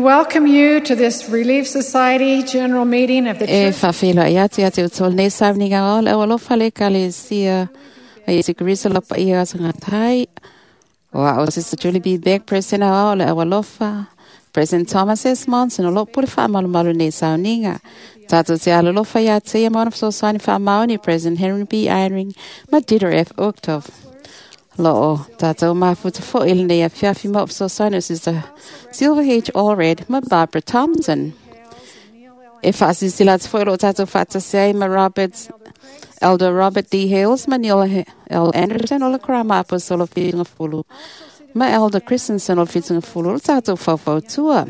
welcome you to this Relief Society General Meeting of the E Church. whawhila i atu atu o tō nei sauniga o le alofa le kalesia a Yesu Kristo lo pa ia asa tai o a o Sister Julie B. Beck President o le alofa President Thomas S. Monson o lo pule wha malu malu nei sauniga. Tātou te alolofa ia te ia mauna whasosaini wha mauni President Henry B. Eyring ma Dieter F. Uchtdorf. Lo o tātou mafuta fo il nei a fiafi mo whasosaini o Sister Silver H. Allred ma Barbara Thompson. E whaasisila te whaero o tātou whaatasei ma Roberts, Elder Robert D. Hales, ma Neil L. Anderson o le Kurama Apostolo Whitinga Fulu, ma Elder Christensen o le Whitinga Fulu o le tātou whauwhautua.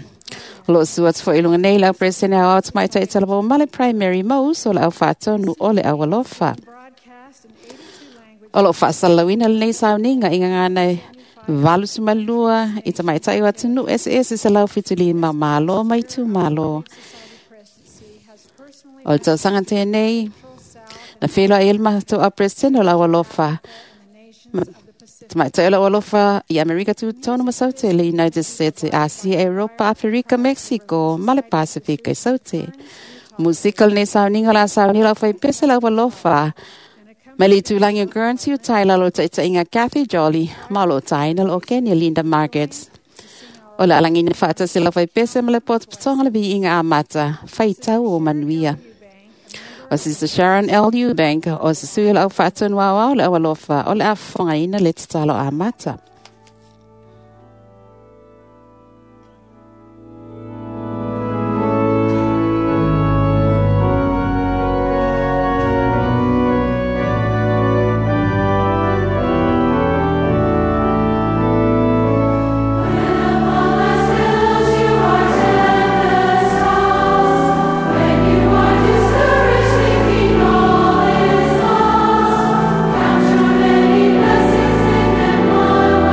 O lo sua te whailunga nei lau presene au au tamai taitala o male primary ma uso le au whaatonu o le au alofa. Broadcast in 82 languages. O lo whaasalauina le nei sauninga i ngā nei valu sumalua i tamai tai o atunu SS se lau fituli ma malo mai tu malo. Presidency has personally O le tausaga tēnei, na whenua e le matou a President o lau alofa. the nations of the Pacific. Tamaitai o lau alofa i Amerika Tutonu ma Saute, le United States, Asia, Europa, Afrika, Mexico, ma le Pasifika i Saute. Musika lenei sauniga la sauni lau whaipese lau alofa. Ma le tūlangi o Guernsey o Taila lo taitaiga Kathy Jolly, ma lo taina lo Kenya Linda Markets. O le alangina whaatasi lau whaipese ma le potopotonga le viiga amata, whaitau o manuia. O Sister Sharon L. Eubank, o se sui o le au whaatonu au au le au alofa, o le afonga ina le tatalo amata. Count your many blessings in them one.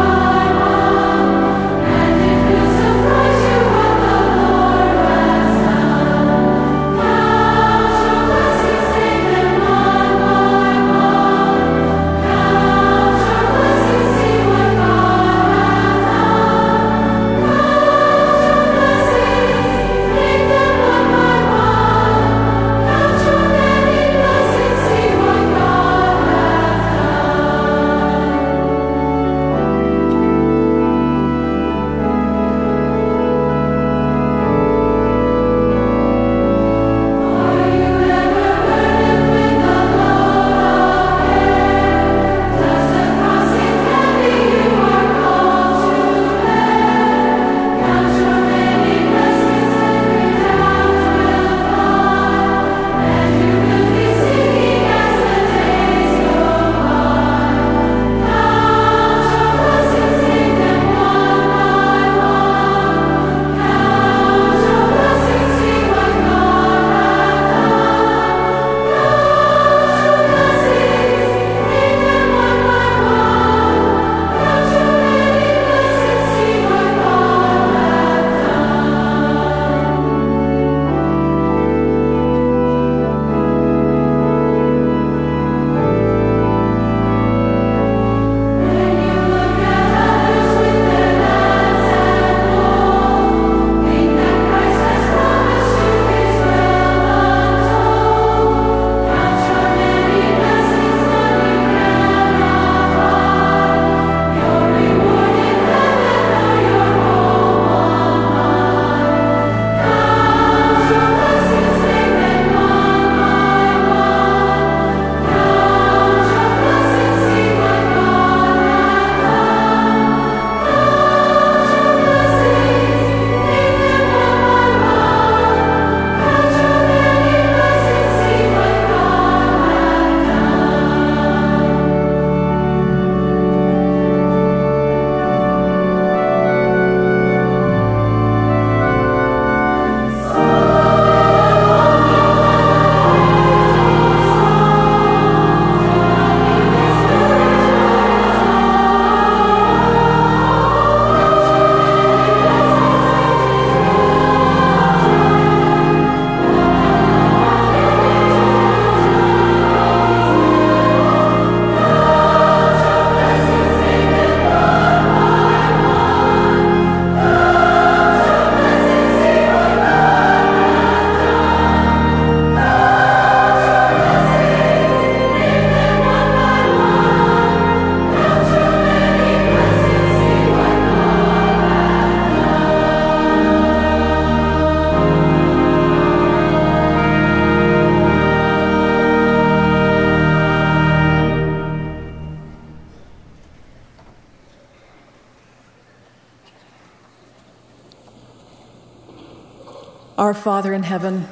Our Father in heaven,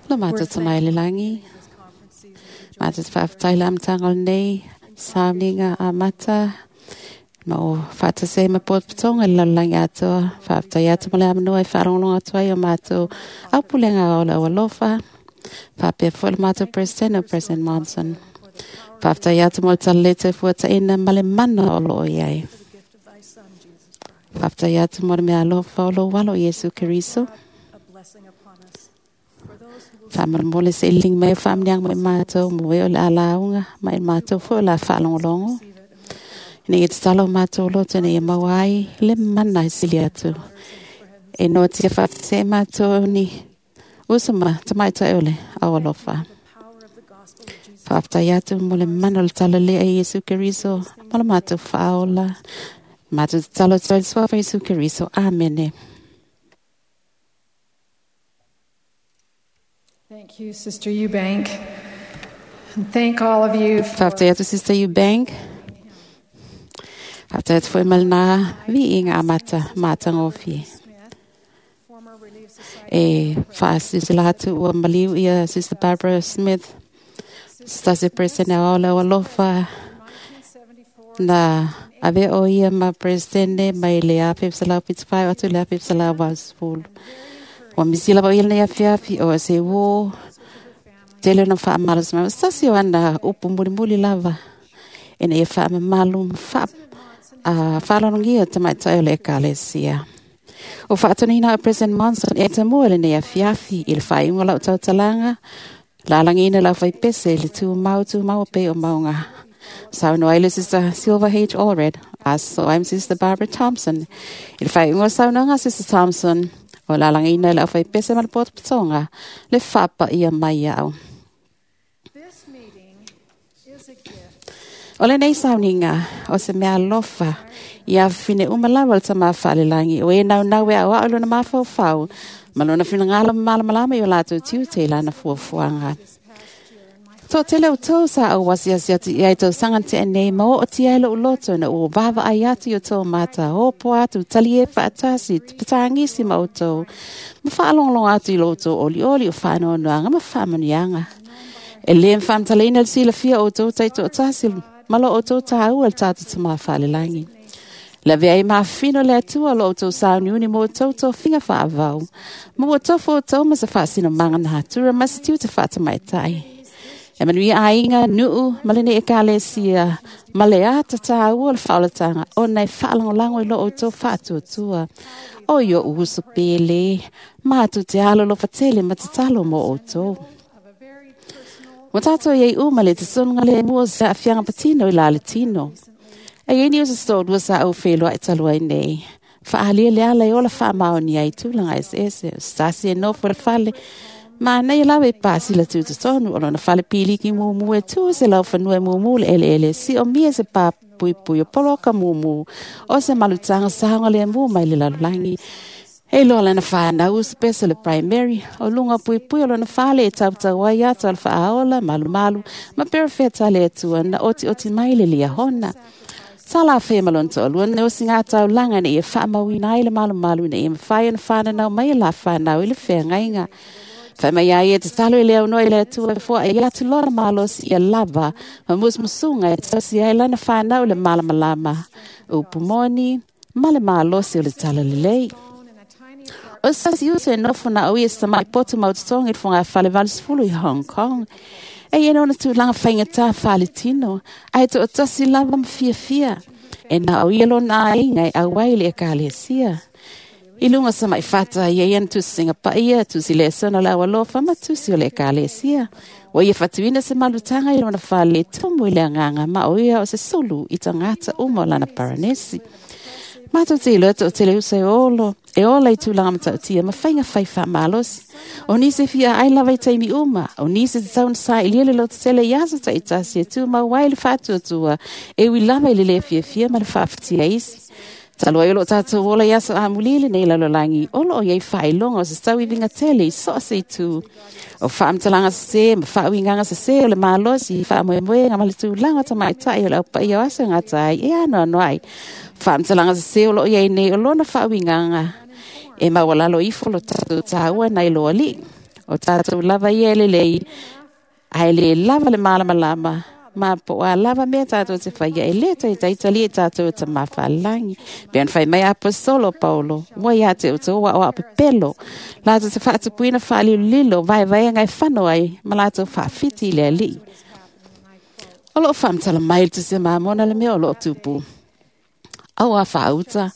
Lo mātou tamai le langi. Mātou te whaaftai la amtanga o nei, sauniga a mata, ma o whaatase ma pōtpatonga le lalulangi atoa, whaaftai atu mo le amanoa e whaarongonga atu ai o mātou aupulenga o le alofa, whaapea fo le mātou President o President Monson. Whaaftai atu mo le talete fuataina ma le mana o lo o iai. Whaaftai atu mo le mea alofa o lo walo Iesu Keriso. Whaamaramole se iling mai whaamniang mai mātou mo e o le alaunga mai mātou fo la whaalongolongo. Ina i te talo mātou loto nei e maua ai le mana e sili atu. E noa tia whaate mātou ni usama tamaita ole au alofa. Whaaftai atu mo le mana o le talo lea e Iesu Keriso mo le mātou whaola. Mātou te talo tau suafa Iesu Keriso. Amene. Thank you, Sister Eubank. And thank all of you for Whaaftai atu Sister Eubank. Whaaftai atu foi malina vi inga amata mātangofi. former Relief Society E whaasisila atu ua maliu ia Sister Barbara Smith. Stasi President o le alofa 1974 na ave o ia ma President mai le afe salau pitspai atu le afe salau vasfulu. Wa misila wa ia nei afiafi o se wo tele na whaamalas mai. Stasi o ana upu muli muli lava. Ina ia whaamamalu ma whaalongia tamaitai o le ekalesia. O whaatonina o President Monson e tamua le nei afiafi i le whainga lau tautalanga, lalangina lau whaipese le tū mau pe o maunga. Saunoa ai le Sister Silver H. Allred, aso I'm Sister Barbara Thompson. I le whainga saunoanga Sister Thompson, o lalangina lau whaipese ma le pōtapatonga, le whapa ia mai au. This meeting is a gift O le nei sauninga, o se mea alofa, ia whine umalawa le tama whaalelangi, o e nau nau e au au lona mawhau ma lona whina malamalama i o lātou tiu te lana fuafuanga. Tō tele o tō sa au wasi asi atu i ai tō sangante e nei, ma o tia ele o loto na o wawa ai atu i o tō mata, o po atu, tali e whaatasi, te patangisi ma o tō, ma whaalonglong atu i loto oli oli o whaanoanoanga ma whaamanianga. E le mwhamtalina le sila fia o tō taito o tasi, malo o tō tāua le tātou te mawhalelangi. La vea i mawhino le atua lo o tō sauniuni mō tō tō whinga whaavau. Mō tō fō tō masa whaasino manga nā tura masa tiu te whaatamaitai. E manu i ainga nuu malene e kalesia male ata tāua le whaolatanga o nei whaalangolango i lo o tō whaatuatua. O i o uso pele, mātu te alo lo whatele ma te talo mō o tō. of a very personal Wa tātou iei uma le te sunga le mua sa awhianga patino i la le tino. E iei ni o se stōrua sa au whenua e talua i nei. Whaalia le ala i ola whaamaoni ai tūlanga ese ese. Stasi e nofo le whale. Ma nei lawe e pāsi la tūta tonu o lona whale piliki mumu e tū se lau whanua e mumu le ele ele. Si o mia se pā pui pui o poloka mumu. O se malutanga sahonga le mua mai le lalulangi. E loa lana whanau usipesa le primary, o lunga pui pui o lona whale e tautau ai atu al whaaola, malu malu, ma perefeta le atua na oti oti mai le lia hona. Sa la whea malon tō lua ne osi ngā tau langa ne e whaamauina ai le malu malu ne e mwhai ana whanau mai la whanau i le whea ngainga. Whai mai ai e te talo i leo noa i le atua e fua e atu lona malosi ia lava, ma musmusunga e tausi ai lana whanau le malamalama. Upu moni, ma le malosi o le talo lelei. phone in a tiny O sasi uso e nofo na o ia sa mai poto mau tonga i whanga whale valusfulu i Hong Kong. E ia nona tūlanga whaingata whale tino, ai tō o tasi lava ma fia fia. E na o ia lona ainga e awai le e kalesia. I lunga sa mai fata ia ia tusi singa pa ia, tusi le sona la alofa ma tusi o le ekalesia. O ia fatuina se malutanga i lona whale tumu i le anganga ma o ia o se sulu i tangata uma o lana paranesi. Mātou te iloa o te leusa e olo, e ola i tūlanga matautia, ma whainga whai wha malosi. O nise fia ai lava i taimi uma, o nise te tauna sa i liele lo te tele i asa ta i tasi e tū mau wai le whātuatua, e ui lava i le le fia fia ma le whaaftia isi. Talua i o lo tātou ola i aso amulile nei lalolangi, olo o iei whailonga o se tau i vinga tele i so se i tū. O whaamtalanga se, ma whaawinganga se se o le malosi, whaamoemoenga ma le tūlanga ta maitai o le aupa i o aso ngā tai, e ano ano ai. Whaamtalanga se se o lo iei nei o lona whaawinganga. E maualalo ifo lo tatou tāua nai lo Alii. O tatou lava ia e lelei, ae lē lava le malamalama, ma po o a lava mea tatou te faia e lē taitai talia i tatou e Tamā Faalelagi. Pei ona fai mai Aposetolo o Paulo, ua ia te outou aoao pepelo, latou te faatupuina faalilolilo vaevaega e fano ai ma latou faafiti i le Alii. O loo faamatala mai le Tusi a Mamona le mea o loo tupu. Auā faauta,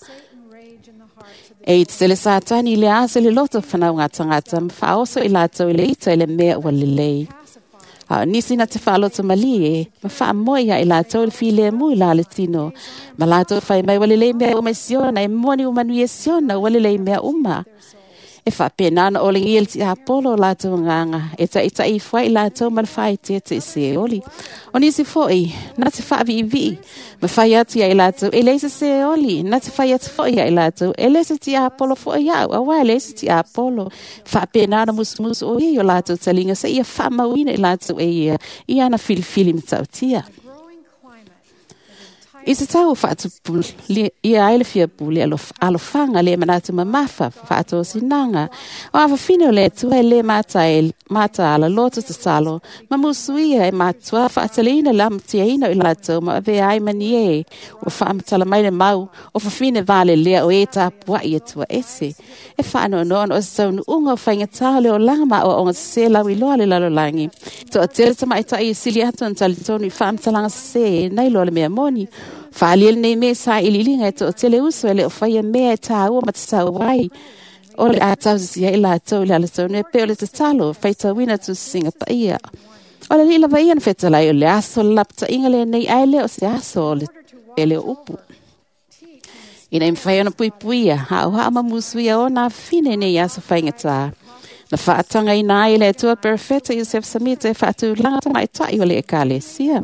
e tetele Satani i le asa i le loto o fanauga tagata ma faaoso i latou i le ita i le mea ua lelei. A o nisi na te faaloto malie ma faamoe ia i latou i le filemu i la le tino, ma latou fai mai ua lelei mea uma i Siona, e moni ua manuia Siona, ua lelei mea uma. E faapena ona olegia le tiapolo o latou agaga, e taʻitaʻi ifo ai i latou ma le faaeteete i Seoli. O nisi foʻi, na te faaviivii, ma fai atu ia i latou, e leai se Seoli, na te fai atu foʻi ia i latou, e le se tiapolo foʻi au, auā e leai se tiapolo. Faapena ona musumusu o ia i o latou taliga seia faamauina i latou e ia i ana filifili matautia. I se tau faatupu ia ai le fia pule alofaga le manatu mamafa faatosinaga o afafine o le Atua e lē mataala loto tatalo ma musuia e matuā faateleina le amatiaina o i latou ma avea ai ma ni ē ua faamatala mai le mau o fafine valelea o ē tapuaʻi Atua ese. E faanoanoa ona o se taunuuga o faigatā o le olaga ma aoaoga sesē lauiloa le lalolagi. Toatele tamaʻitaʻi e sili atu ona talitonu i faamatalaga sesē nai loa le mea moni. Faaalia lenei mea i sailiiliga e toatele uso e le o faia mea e tāua ma tatau ai o le a tausisia i latou i le alatonu e pei o le tatalo faitauina tusisiga paia. O le alii lava ia na fetalai o le aso o le lapataʻiga lenei ae lē o se aso o le tele o upu. Ina ia mafai ona puipuia, haʻohaʻo ma musuia ona afine nei aso faigatā. Na faatagaina ai e le Atua Perofeta Iosef Samita e faatulaga tamaʻitaʻi o le Ekalesia.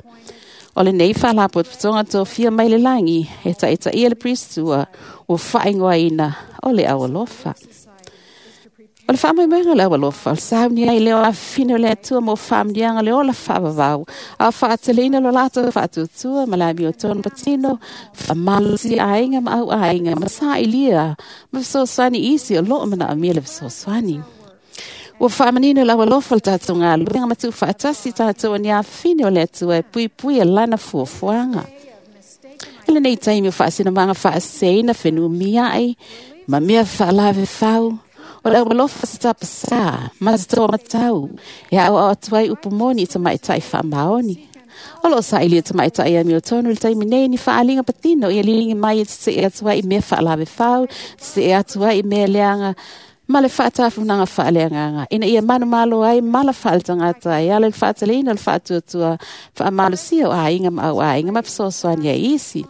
O lenei faalapotopotoga tofia mai le lagi e taʻitaʻia le Peristua ua faaigoaina o le Aualofa. O le faamoemoega o le Aualofa, o le sauni ai lea o afafine o le Atua mo faamanuiaga o le ola faavavau, a o faateleina lo latou faatuatua ma le amiotonu patino, faamalosia aiga ma auaiga ma sailia ma fesoasoani i isi o loo manaomia le fesoasoani. Ua faamanino le Aualofa le tatou galuega ma tuufaatasi tatou o ni afafine o le Atua e puipuia lana fuafuaga. I lenei taimi o faasinamaga faaseseina fenumiaʻi ma mea faalavefau, o le Aualofa se tapasā ma se toamatau e aoao atu ai upu moni i tamaʻitaʻi faamaoni. O loo sailia tamaʻitaʻi amiotonu i le taimi nei ni faaaliga patino ia liligi mai e tetee atu ai i mea faalavefau, tetee atu ai i mea leaga ma le faatafunaga faaleagaga ina ia manumalo ai mala faaletagata e ala i le faateleina o le faatuatua faamalosia o aiga ma auaiga ma fesoasoani ai isi.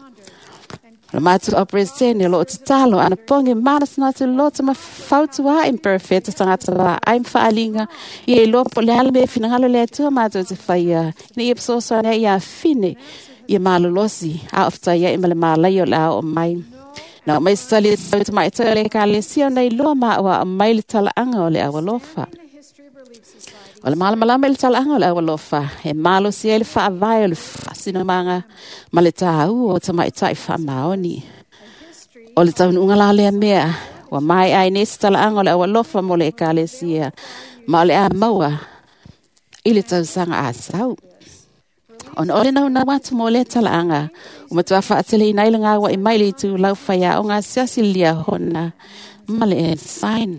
O le matou au Peresetene o loo tatalo anapogi manatunatu loto ma fautuaʻi ma perofeta tagata vaai ma faaliga ia iloa po o le a le mea e finagalo le Atua matou te faia ina ia fesoasoani ai ia afine ia malolosi a o fetaiaʻi ma le malaia o le a oo mai. Na oo mai se tali e tau tamaʻitaʻi o le Ekalesia ona iloa ma aʻoaʻo mai le talaaga o le Aualofa. O le malamalama i le talaaga o le Aualofa e malosi ai le faavae o le faasinomaga ma le tāua o tamaʻitaʻi faamaoni. O le taunuuga la lea mea ua maeʻa ai nei se talaaga o le Aualofa mo le Ekalesia ma o le a maua i le tausaga asau. Ona o le naunau atu mo lea talaaga, ua matuā faateleina ai le gauaʻi mai le itulau faiaoga asiasi le Liahona ma le Ensign.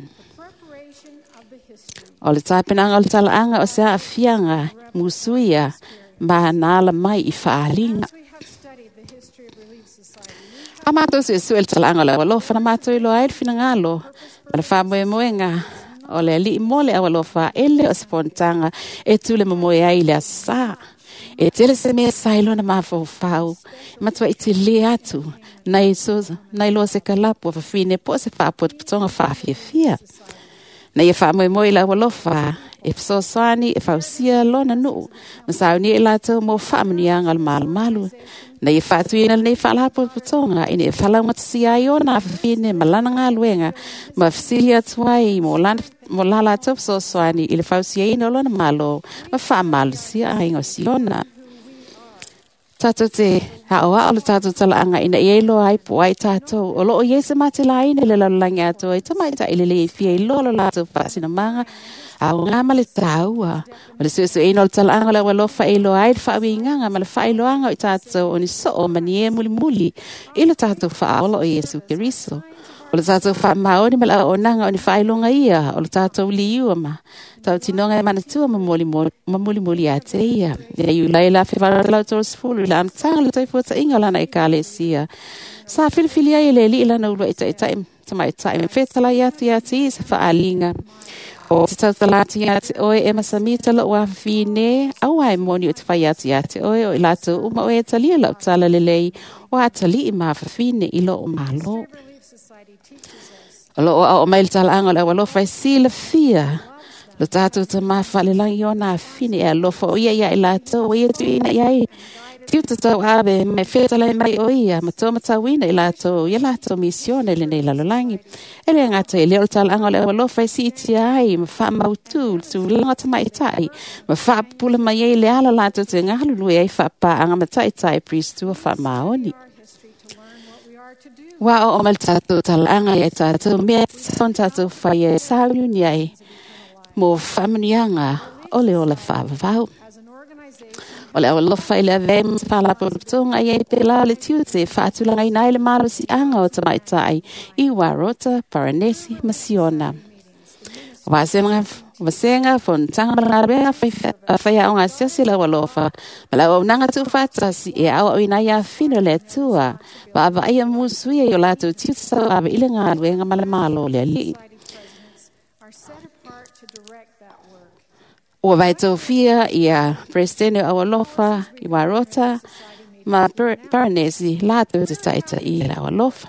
O le tapenaga o le talaaga o se aafiaga musuia ma na ala mai i faaliga. A matou suesue le talaaga o le Aualofa na matou iloa ai le finagalo ma le faamoemoega o le Alii mo le Aualofa e le o se fonotaga e tule momoe ai i le aso Sā. E tele se mea sa i lona mafaufau, e matuaʻi telē atu nai loa se kalapu a fafine po o se faapotopotoga faafiafia. Na ia faamoemoe i le Aualofa e fesoasoani e fausia lona nuu ma saunia i latou mo faamanuiaga o le malumalu. Na ia faatuina lenei faalapotopotoga ina ia falaugatasia ai ona afafine ma lana galuega ma fesili atu ai mo la latou fesoasoani i le fausiaina o lona Malo ma faamalosia aiga o Siona. Tātou te ao le tātou talaaga ina ia iloa ai po o ai tātou o loo i ai se matelaina i le lalolagi atoa i tamaitai lelei e fia iloa lo latou faasinomaga aoga ma le tāua. O le suesueina o le talaaga o le aualofa e iloa ai le faauigaga ma le faailoaga o i tātou o ni soo ma ni e mulimuli i le tātou faaola o Iesu Keriso. O le tātou faamaoni ma le auaunaga o ni faailoga ia o le tātou liua ma tautinoga e manatua ma mulimuli ia te ia. Ia Iulai le 1830 i le amataga o le taufuataiga o lana ekalesia. Sa filifili ai e le alii lana uluai taitai tamaitai ma fetalai atu ia te ia se faaliga. O te tautala atu ia te oe e masamita lou afafine, aua e moni o te fai atu ia te oe o i latou uma o e talia lau tala lelei o atalii ma afafine i loo malo. O loo ao mai le talaaga o le aualofa e silafia lo tātou tamā faalelagi ona afine e alofa o ia ia i latou o ia tuuina i ai tiute tau ave mai fetalai mai o ia ma tō matauina i latou ia latou misione i lenei lalolagi. E le gata i lea o le talaaga o le aualofa e siitia ai ma faamautu le tulaga tamaitai ma faapupula mai ai le ala latou te galulue ai faapaaga ma taitai Pristua faamaoni. Ua oo mai le tātou talaaga ia tātou mea e tātou whai e sauniuni ai mo faamanuiaga o le ola faavavau. O le aualofa i le avea ma se faalapotopotoga i ai pela le tiute e faatulagaina ai le malosiaga o tamaitai i Warota, Paranesi ma Siona. O vasega fonotaga ma le galuega faiaoga asiasi le aualofa ma le auaunaga tuufaatasi e aoaoina ai afine o le Atua vaavaaia musuia i o latou tiute sauave i le galuega ma le malo o le alii. Ua vaetofia ia Presidente o Aualofa i Warota ma Paranesi latou te taitai i le aualofa.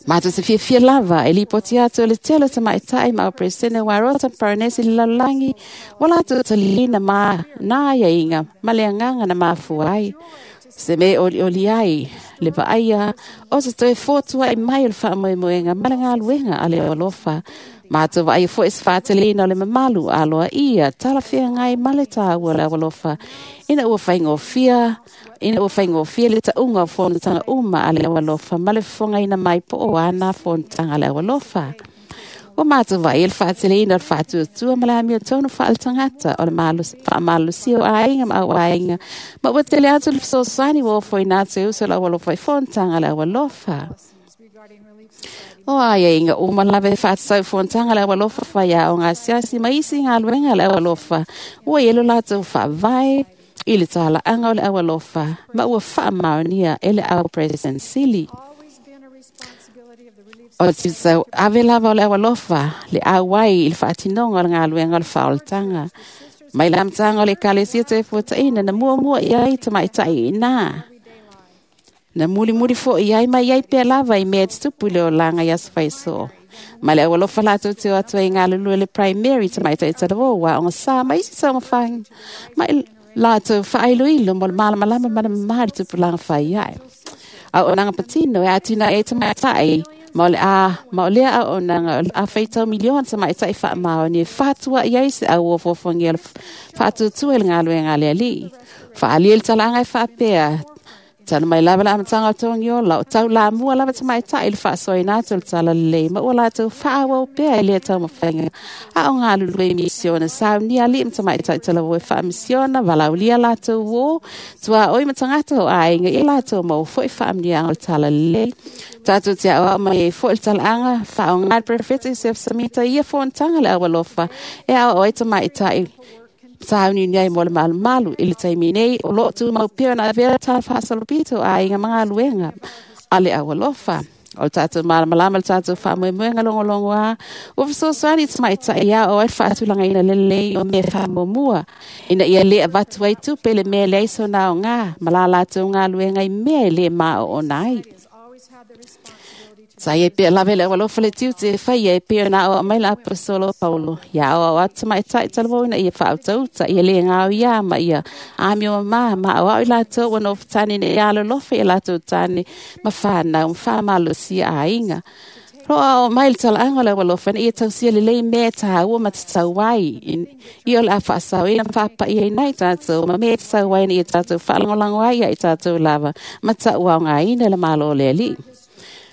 Mātou te fiafia lava e lipoti atu o le tele o tamaitai ma o Presidente Warota ma Paranesi le lalolagi ua latou taliina ma nā aiaiga ma le agaga na mafua ai. Se me olioli ai le vaaia o se toe fotuai mai o le faamoemoega ma le galuega a le aualofa. Mātou vaai foi se faateleina o le mamalu aloa ia talafeagai ma le tāua o le aualofa ina ua faigofie le tauga o fonotaga uma a le aualofa ma le fofogaina mai po o ana fonotaga a le aualofa. Ua mātou vaai le faateleina o le faatuatua ma le amiotonu faaletagata o le faamalosia o aiga ma auaiga ma ua tele atu le fesoasoani ua ofoina atu e uso o le aualofa i fonotaga a le aualofa. O aiaiga uma lava e faatatau fonotaga le aualofa faiaoga asiasi ma isi galuega le aualofa ua i ai lo latou faavae i le talaaga o le aualofa ma ua faamaonia e le au President Sili. O le tiute ave lava o le aualofa le auai i le faatinoga o le galuega o le faaolataga. Mai le amataga o le ekalesia toefuataina na muamua i ai tamaitai i ina. Na mulimuli foi ai mai ai pea lava i mea e tutupu i le olaga i aso faisoo. Ma le aualofa latou te o atu ai galulue le primary tamaitai talavou aoga sa ma isi taumafaga ma i latou faailoilo mo le malamalama ma le mama i le tupulaga fai ai. Auaunaga patino e atinae ai tamaitai ma o lea auaunaga o le a faitau miliona tamaitai faamaoni e fatuai ai se au ofofogia o le faatuatua i le galuega a le alii. Faaalia le talaaga e faapea Tala mai lava le amataga o togi ola o tau lamua lava tamaitai i le faasoaina atu o le tala lelei ma ua latou faaauau pea i lea taumafaiga a o galulue i misiona saunia alii ma tamaitai talavou e faamisiona valaulia latou uō tuaoi ma tagata o aiga ia latou maua foi faamanuiaga o le tala lelei. Tātou te aoao mai ai foi le talaaga faaaoga le Perofeta Iosef Samita ia fonotaga le aualofa e aoao ai tamaitai sauniuni ai mo le malumalu i le taimi nei o loo tumau pea ona avea le tala faasolopito a aiga ma galuega a le aualofa. O le tātou malamalama le tātou faamoemoega logologo a ua fesoasoani i tamaitai ia o ai le faatulagaina lelei o mea faamuamua ina ia lē avatu ai tupe le mea e leai sona aogā ma la latou galuega i mea e lē maoona ai. Sa ia pea lava le aualofa le tiute e faia e pea na aoao mai le aposetolo o Paulo. Ia aoao atu tamaitai talavou ina ia faautauta, ia le gao ia ma ia amio mamā ma aoao i latou ua nofotane ina ia alolofa i a latou tane ma whanau ma whamalosia aiga. Roa o mai le talaaga o le aualofa ina ia tausia lelei mea e tāua ma tatau ai i o le a faasaoina ma faapaia ai tatou ma mea e tatau ai ina ia tatou faalagolago ai ia i tatou lava ma tauaogaina le Malo o le Alii.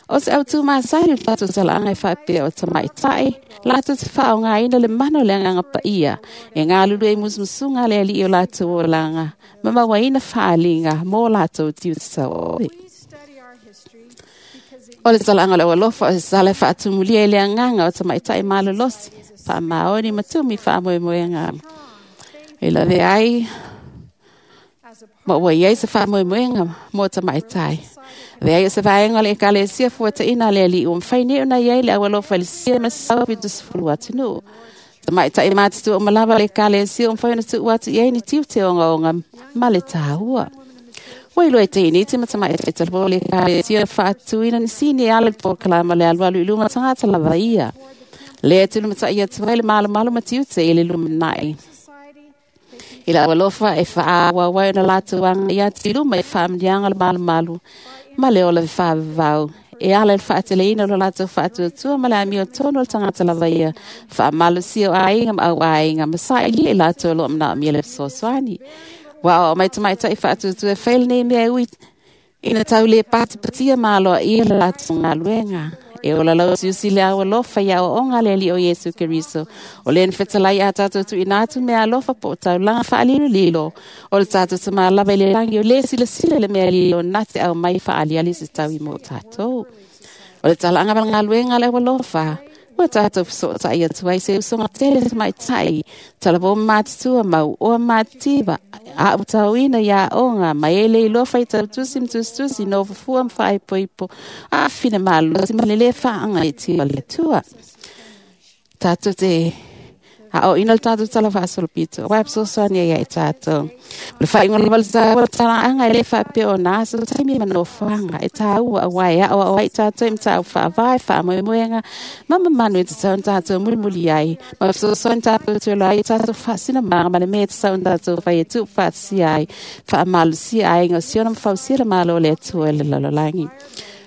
O se autu masani o le tatou talaaga e faapea o tamaitai latou te faaaogaina le mana o le agaga paia e galulue ai musumusuga a le Alii o latou olaga ma mauaina faaaliga mo latou tiute tauave. We study our history because it O le talaaga o le aualofa o se sala e faatumulia i le agaga o tamaitai malolosi, faamaoni ma tumi faamoemoega. E lave ai as a part ma ua iai se faamoemoega mo tamaitai. Le ai o se vaega o le ekalesia fuataina a le Alii ua mafai nei ona iai le aualofa i le sia ma sau 70 atunuu. Tamaitai matutua uma lava o le ekalesia ua mafai ona tuu atu i ai ni tiute ogaoga ma le tāua. Ua iloa e teiniti ma tamaitai talavaou o le ekalesia na faatuina ni sini e ala i le polokalama o le alualu i luma o tagata lava ia. Lea e tulumatai atu ai le malomalo ma tiute i le lumanai. society I le aualofa e faaauau ai ona latou agai atu i luma i faamanuiaga o le malumalu ma le ola faavavau. E ala i le faateleina o lo latou faatuatua ma le amio tonu o le tagata lava ia, faamalosia o aiga ma auaiga ma sailia i latou o lo o manaomia le fesoasoani. Ua aoao mai tamaitai faatuatua e fai lenei mea e ui ina tau le patipatia ma aloaia le latou galuega. E ola lausiusi le aualofa i aoaoga a le Alii o Iesu Keriso. O lea na fetalai a tatou tuuina atu mea alofa po o taulaga faalilolilo. O le tatou tamā lava i le lagi o le silasila i le mea lilo na te aumai faaaliali se taui mo tatou. O le talaaga ma le galuega a le aualofa, ua tatou fesootai atu ai se usoga tele tamaitai, talavou ma matutua mau oa mativa, autauina i aoga, ma e le iloa faitautusi ma tusitusi, nofofua ma faaipoipo, aafina malosi ma le lē faaagaitia o le Atua. Tatou te aoaoina le tatou tala faasolopito, aua e fesoasoani ai ia i tatou. O le faaiuga lava o le taua o le talaaga e le faapea o na aso taimi ma nofoaga e tāua aua e aoao ai tatou i mataupu faavae, faamoemoega ma mamanu e tatau ona tatou mulimuli ai. Ma fesoasoani tatou te ola ai i tatou faasinamaga ma le mea e tatau ona tatou fai e tuufaatasia ai, faamalosia aiga o Siona ma fausia le Malo o le Atua i le lalolagi.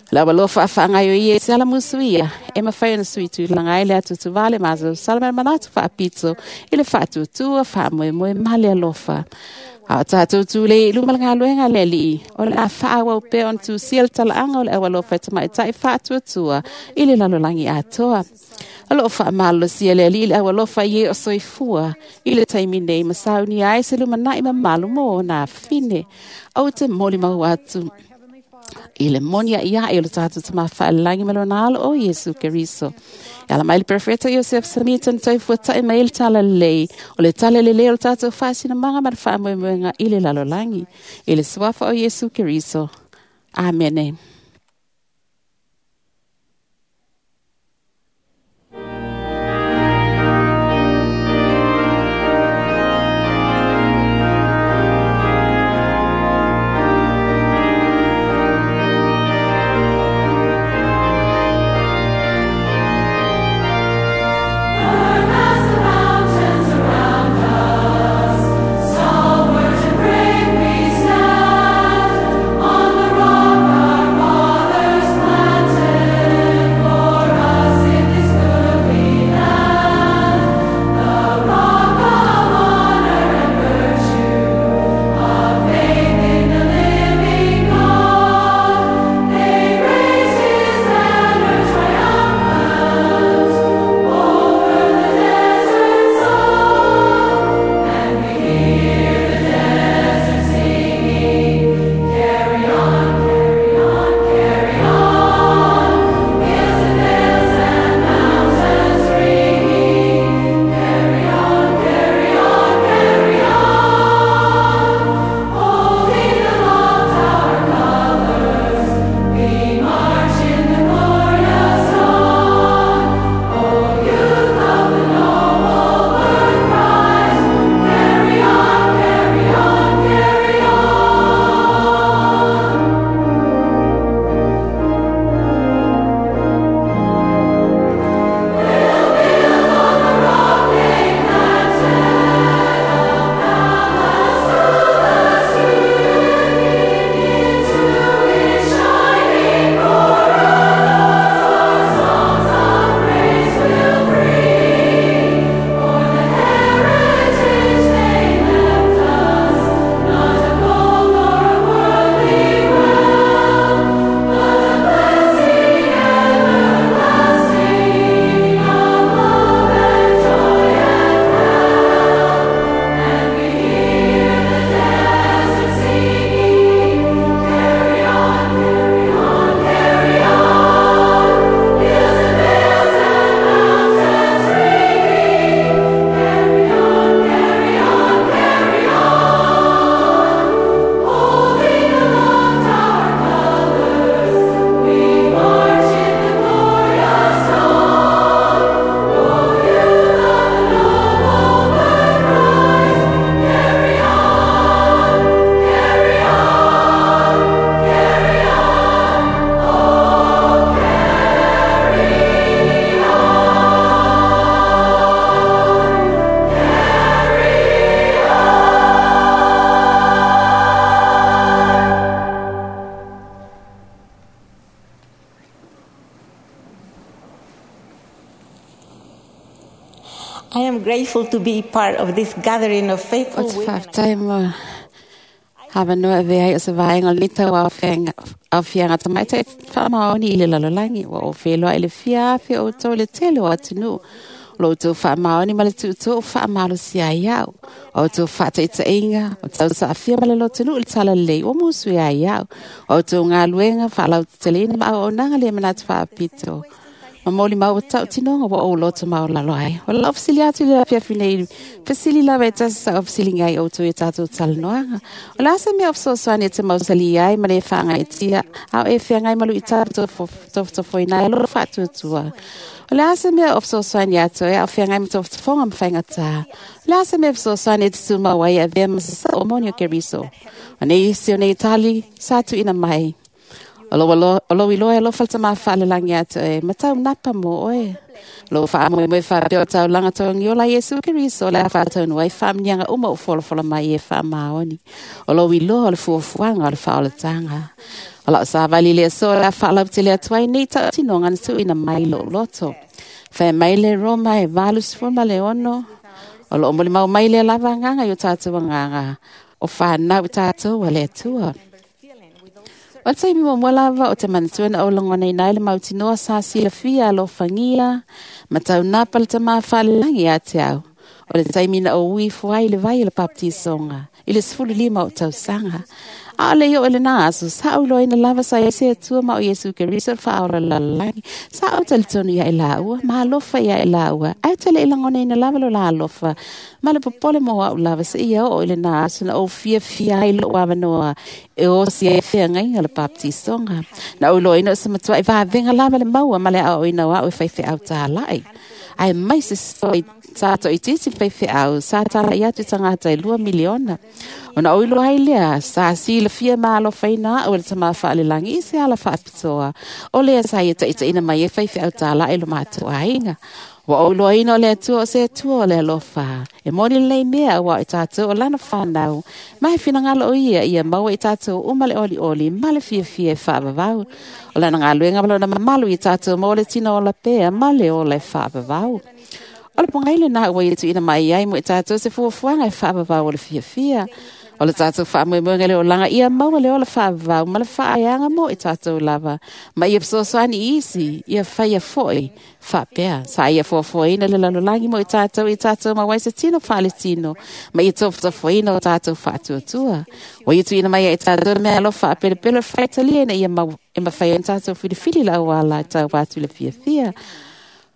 O le aualofa faagaioia i se ala musuia e mafai ona sui tulaga ai le atuatuvā le masalosalo ma le manatu faapito i le faatuatua faamoemoe ma le alofa. A o tatou tulei i luma le galuega a le Alii, o le a faaauau pea ona tusia le talaaga o le aualofa e tamaitai faatuatua i le lalolagi atoa. O loo faamalolosia le Alii i le aualofa i e o soifua i le taimi nei ma saunia ai se lumanai mamalu mo ona afine. Ou te molimau atu our Heavenly Father i le moni a'i o le tatou tamā faalelagi ma lona alo o Iesu Keriso. E ala mai le profeta Iosef Samita na taufuata'i mai ai le tala lelei, o le tala lelei o le tatou faasinamaga ma le faamoemoega i le lalolagi. I le suafa o Iesu Keriso. Amene. As the mountains around us, stalwart and brave we stand on the rock our Thankful to be part of this gathering of faithful O te women. whaatai mo hawa noa e vea o se vaenga o le tau au fianga tamaitai whaamaoni i le lalolagi. Ua o wheloa i le fia afe o tau le tele o atunu. Lo tau whaamaoni ma le tuutu o whaamalo si ai au. O tau whaataitainga, o tau saafia ma le lotunu i le tala lei o musu i ai au. O tau ngā luenga, whaalau te ma au o nanga le manatu whaapito. Ma moli mau o tau tinonga wa o loto mau lalo ai. O lau fisili atu le apia finei. Fisili lawa e tasi sa o fisili ngai o tui e tātou talanoaga. O la asa mea o fesoasoani e te mausali ai ma le whaanga e tia. Au e whiangai malu i tātou tofotofo i nai loro whaatuatua. O le asa mea o fesoasoani atu e au whiangai ma tofotofonga ma whaingatā. O le asa mea o fesoasoani e te tūmau ai a vea masasa o moni o Keriso. O nei isi o nei tali sa tu ina mai. O lo iloa e alofa le tamā faalelangi atu e matau napa mo oe. Lo wha moe moe wha peo tau langa tau ngiola Yesu Keriso le a whātaunu ai whaamnianga uma o folofola mai e wha maoni. O lo iloa o le fuafuanga o le whaolatanga. O lau sa vali le so le a whaalau te le atuai nei tau tinonga na tuina mai lo loto. Whae mai le Roma e 86. O lo omoli mau mai le lava nganga i o tātou nganga. O whanau tātou a le atua. O te mi mo lava o te manatuana o langona i nai le mautinoa sa silafia alofagia ma tau napa le tamā faalelangi ia te au. O le taimi na o ui fuai le vai o le baptisonga i le 15 o tausaga. A o le i o le nā aso sa au loina lava sa ese atua ma o Iesu Keriso le whaola lalagi. Sa au talitonu ia i laua, ma alofa ia i laua. Ai tele i langona ina lava lo la alofa. Ma le popole mo au lava sa ia o i le nā aso na o fia fia ai lo wawanoa e o si e fia ngai le baptisonga. Na o loina o sa matua i vāvenga lava le maua ma le au ina o au e whai au tālai. Ai mai se soi tātou i titi whai au, sa tala i atu tangata i 2 miliona. O na oilo ai lea, sa sila fia malo whaina o le tama whaalelangi i se ala whaapitoa. O lea sa ia taita ina mai e whai au tāla e lo mātou ainga. Wa o loina o le atua o se atua o le alofa. E moni lei mea wa i tātou o lana whanau. Mai whinangalo o ia, ia maua i tātou o male oli oli, male fia fia e whaavavau. O lana ngā luenga malona mamalu i tātou mo le tino o la pea, male o le whaavavau. O le pongaile nā ua i tu ina mai ai mo i tātou se fuafuanga e whaavavau o le fia fia. O le tātou whaamoemoenga le olanga ia maua le o le whaavavau ma le whaayanga mo i tātou lava. Ma ia fesoasoani isi, ia whaia foi, whapea. Sa ia fuafuaina le lalolagi mo i tātou ma wai se tino whaale tino. Ma ia tofotofoina o tātou whaatuatua. O ia tuina mai i tātou mea alofa a pelepele whaitalia ina ia mau e mawhai an tātou whiriwhiri la o ala tau atu le fia fia.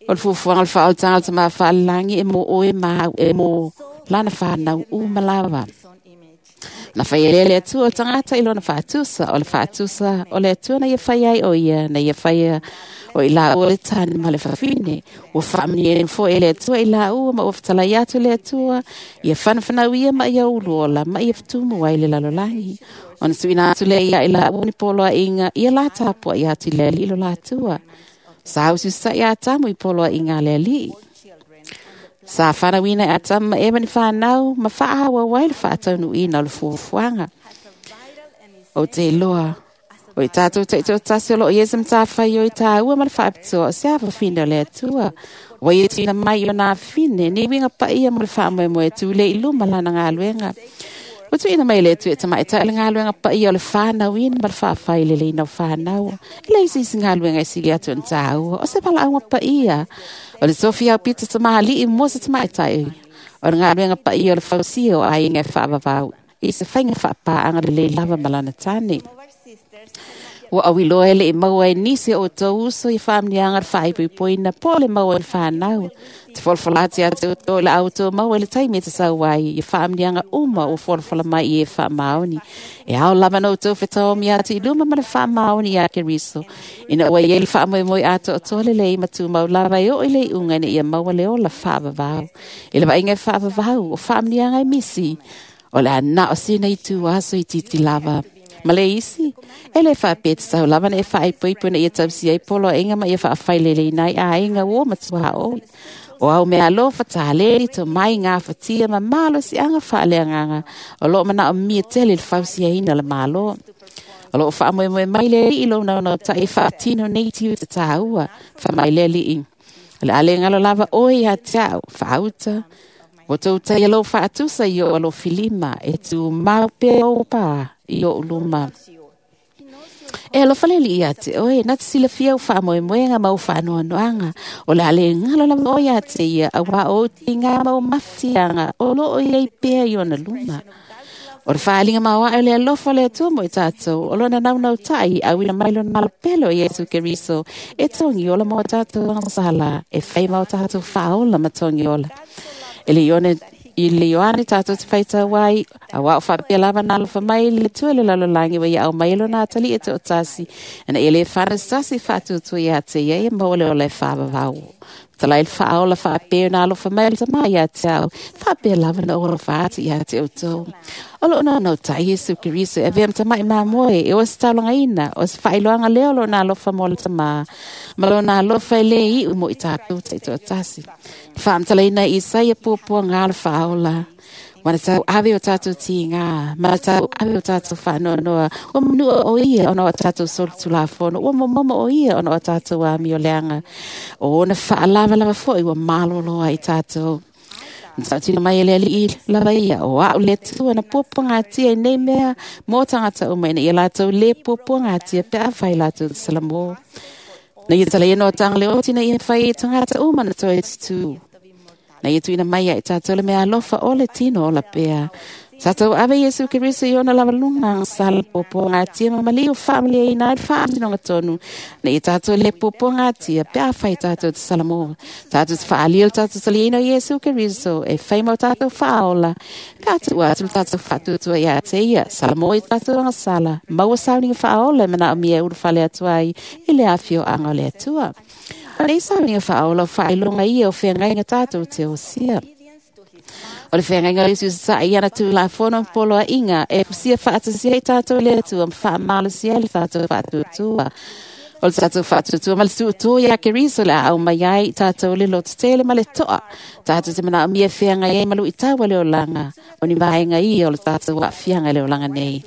O le fuafuaga le faaolataga le tamā faalelangi e mo oe ma au e mo lana whanau umalawa. Na whai ele le atua o le tangata i lona whaatusa, o le whaatusa o le atua na ia whai ai o ia, na ia whai o i la ua le tane ma le whawhine. Ua whaamani e fo e le atua i la ua ma ua whatalai atu le atua, ia whanawhanau ia ma ia uluola, ma ia whatumu ai le lalolagi. Ona suina atu le ia i la ua ni poloa inga, ia la tāpua i atu le ali i lo la atua. Sa hausu sa ia tamu i poloa inga le ali. Sa whanawina e atama e mani whanau, ma whaawa wai le whaataunu ina o le fuafuanga. O te loa, o i tātou te tō tasi o lo i esam tā whai o i tāua ma le whaapitoa, o se awa whina o le atua. O i tina mai o nā whine, ni winga pa ia mo le whaamoemoe tū le i luma lana ngā luenga. O tuina mai le atu e tamai tai le ngā luenga pa ia o le whanau ina ma le whaawhai le leina o whanau. E le isi isi ngā luenga i sili atu n tāua, o se pala aunga pa ia. O le Sofia o pita tamahali i mua se tamai tai. O le ngā luenga pa ia o le fausia o ainga e whaavavau. I se whainga whaapāanga le le lava malana tāne. Ua awiloa ele i maua e nisi o tau uso i whaamnianga le whaipoipoina po le maua le whanau. Te folofola ati atu o tō le au tō maua le taimi e te sauai i whaamnianga uma o folofola mai i e whaamaoni. E au lava no tō whetaomi atu i luma ma le whaamaoni i a Keriso. Ina ua i ele whaamoemoe atu o tō le lei matumau lava e o i le unga ina ia maua le ola whaavavau. E le vainga e whaavavau o whaamnianga e misi. O le ana o sina i tū aso i titi lava. Ma le isi, e le whaapete sau lava na e whaaipoipo na ia tausi ai polo inga ma ia whaawhailele inai a inga o matua o. O au mea alofa tāleri tō mai ngā whatia ma malo si anga whaaleanganga. O lo mana o mia tele le fausia ina le malo. O lo whaamoemoe mai le i lo nau tai whaatino nei tiu te tāua. Whamai le li i. O le ale ngalo lava oi a te au, whaauta. Ua tou taia lou faatusa i ou alofilima, e tumau pea ou pa i ou luma. E alofa le Alii ia te oe, na te silafia au faamoemoega ma ou faanoanoaga, o le a le galo lava oe ia te ia, auā o ou tiga ma ou mafatiaga o lo o i ai pea i ona luma. O le faaaliga maoae o le alofa o le Atua mo i tatou, o lona naunautai, auina mai lona malopele o Iesu Keriso, e togiola mo tatou agasala, e fai ma o tatou faaola ma togiola. E le Ioane, i le Ioane tatou te faitau ai, auā o faapea lava na alofa mai le Atua i le lalolagi ua ia aumai lona atalii e toatasi, ina ia le fana se tasi faatuatua ia te ia, ia maua le ola e faavavau. Talai le faaola faapea na alofa mai le Tama ia te au, faapea lava na ou alofa atu ia te outou. O loo naunautai Iesu Keriso e avea ma tama'i mamoe, e o se taulagaina, o se faailoaga lea o lona alofa mo le Tama, ma lona alofa e lē iu mo i tatou taitoatasi. Faamatalaina e Isaia puapuaga o le faaola, ua na tau ave o tatou tiga, ma na tau ave o tatou faanoanoa, ua manua o ia ona o a tatou solitulafono, ua momomo o ia ona o a tatou amioleaga, o ona faalavalava foi ua malolo ai tatou. Na tautino mai e le Alii lava ia, o au le Atua na puapuagatia i nei mea mo tagata uma, ina ia latou lē puapuagatia pe afai latou te salamo. Na ia talaia no taga le oti na ia fai e tagata uma na toe tutū. Na ia tuuina mai ia i tatou le mea alofa o le tino ola pea. Sa tou ave Iesu Keriso i ona lavaluga agasala puapuagatia ma maliu faamalieina ai le faamasinoga tonu, ina ia tatou le puapuagatia pe afai tatou te salamo. Tatou te faaalia le tatou taliaina o Iesu Keriso e fai ma o tatou faaola, pe a tuu atu le tatou faatuatua ia te ia, salamo i tatou agasala, maua sauniga faaola e manaomia e ulufale atu ai i le afioaga o le Atua. O nei sauniga faaola o faailoga ia o feagaiga tatou te osia. O le feagaiga o Iesu sasae i ana tulafono ma poloaiga e fusia faatasia ai tatou i le Atua ma faamalosia ai le tatou faatuatua. O le tatou faatuatua ma le tuutua ia Keriso le a aumai ai i tatou le lototele ma le toa. Tatou te manaomia e feagai ai ma luitau o le olaga, o ni vaega ia o le tatou aafiaga i le olaga nei.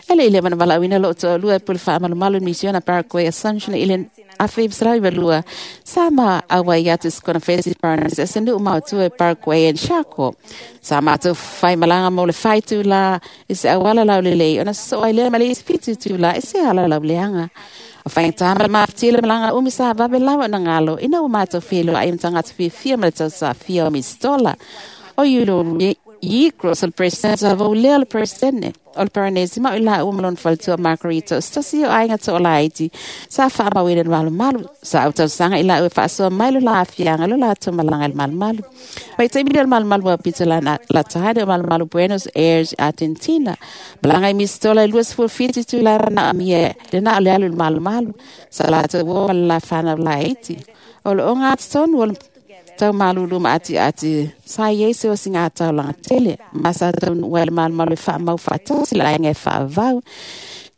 E le i leva na valaauina lou toalua e pule faamalumalu i misiona Paraguay Assumption i le 1992, sa ma auai atu i se konofesi Paranese se nuu maotua i Paraguay and Chaco. Sa matou fai malaga mo le fai itulā i se auala laulelei ona sosoo ai lea ma le isi 7 itulā i se ala lauleaga. O faigata ma le mafatia le malaga umi sa vave lava ona galo ina ua matou feiloai ma tagata fiafia ma le tausafia o Mistola. O Iulo Yigros o le Peresetene sa vaulea o le Peresetene o le Paranesi ma o i laua ma lona faletua Margarita o se tasi o aiga toalaiti sa faamauina i le malumalu. Sa autausaga i laua e faasoa mai lo la aafiaga i lo latou malaga i le malumalu. Vaitaimi lea o le malumalu ua pito lata o malumalu Buenos Aires, Argentina. Malaga i Mistola i 27 itulā manaomia le na o le alu i le malumalu. Sa latou uo ma le la fanau laiti. O le ogatotonu o le tau malulu ma atiati sa i ai se osiga taulaga tele ma sa taunuu ai le malumalu e faamau faatasi le aiga e faavavau.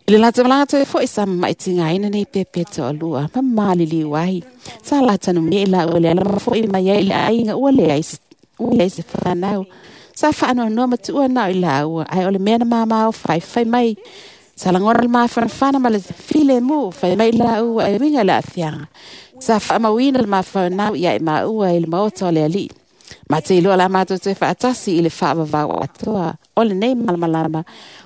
I le latou malaga toe foi sa mama'i tigaina nei pepe toalua ma maliliu ai. Sa latanumia i laua i le ala ma fo'i mai ai i le aiga ua leai se, ua leai se fanau. Sa faanoanoa ma tuua na o i laua, ae o le mea na mamao faifai mai. Sa lagona le mafanafana ma le filemu, fai mai laua e uiga i le aafiaga. Sa faamauina le mafaunau ia i maua i le maota o le Alii. Ma te iloa la matou toe faatasi i le faavavau atoa o lenei malamalama,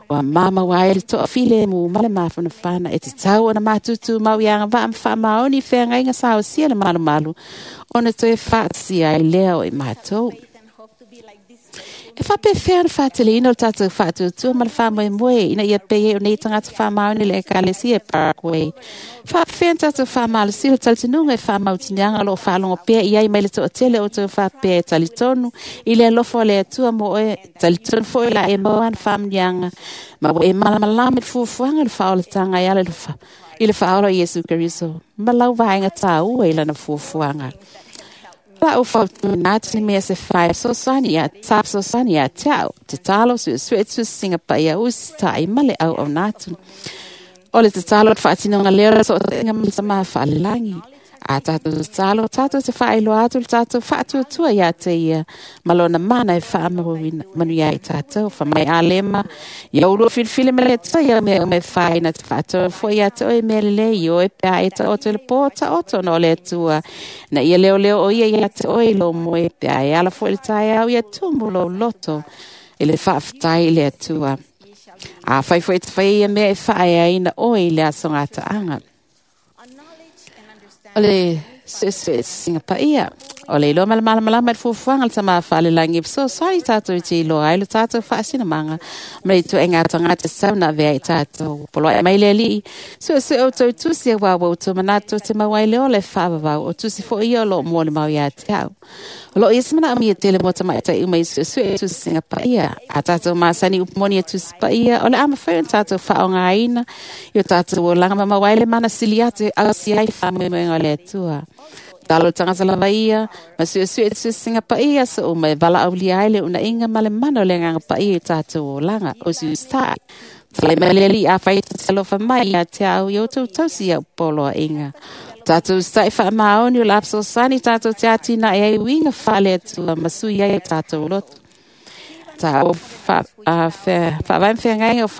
ua mamaua ai le toafilemu ma le mafanafana e tatau ona matutu mau i agavaa ma faamaoni i feagaiga sa osia le malumalu ona toe faatasia ai lea o i matou. E faapefea ona faateleina o le tatou faatuatua ma le faamoemoe ina ia pei ai o nei tagata faamaoni i le Ekalesia e Paraguay? Faapefea ona tatou faamalosia le talitonuga e faamautiniaga o lo o faalogo pea i ai mai le toatele o outou faapea e talitonu i le alofa o le Atua mo oe, talitonu foi o le a e maua ana faamanuiaga ma ua e malamalama i le fuafuaga o le faaolataga e ala i le faaola o Iesu Keriso ma lau vaega taua i lana fuafuaga? Lau fautuaina atu ni mea se fai fesoasoani ia sa fesoasoani ia te au, tatalo, suesue tusiga paia usitai ma le auauna atu. O le tatalo o le faatinoga lea o le sootaiga ma le Tama faalelagi. A tātou talo, tātou te whaailoa atu le tātou whaatuatua ia te ia. Malona mana e whaamanuia i tātou. Whamai a lema, ia uru whilwhile me le tua ia mea o me whaina te whaatua fo ia te oe mea lele i oe pea e ta oto le pō ta oto no le tua. Na ia leo leo o ia ia te oe lo moe pea e ala fo le tai au ia tumu lo loto. I le whaaftai i le atua. A whai fo e te whai ia mea e whae aina oe i le aso ngā taanga. O le suesuesinga paia. O le iloa malamalama i le fuafuaga le tamā faalelagi fesoasoani tatou i te iloa ai lo tatou faasinamaga ma le ituaiga tagata sau na avea i tatou. Poloaʻe mai le alii, suesue outou tusi auā ua outou manatu te mau ai le ola e faavavau o tusi foʻi ia o loo molimau iā te au. O loo ia se manaomia tele mo tamaʻitai uma i suesue e tusiga paia. A tatou masani upu moni e tusi paia, o le a mafai ona tatou faaaogāina i o tatou olaga ma mau ai le mana sili atu e ausia ai faamoemoega o le Atua. Talo tagata lava ia, ma suesue e tusiga paia so uma e valaaulia ai le unaiga ma le mana o le agaga paia i tatou olaga o siusaʻi. Talai mai le alii afai e te alofa mai ia te au i outou tausi ia poloaiga. Tatou saʻi faamaoni o le afesosani tatou te atinae ai uiga faale Atua ma sui ai o tatou loto. Ta o faavae ma feagaiga o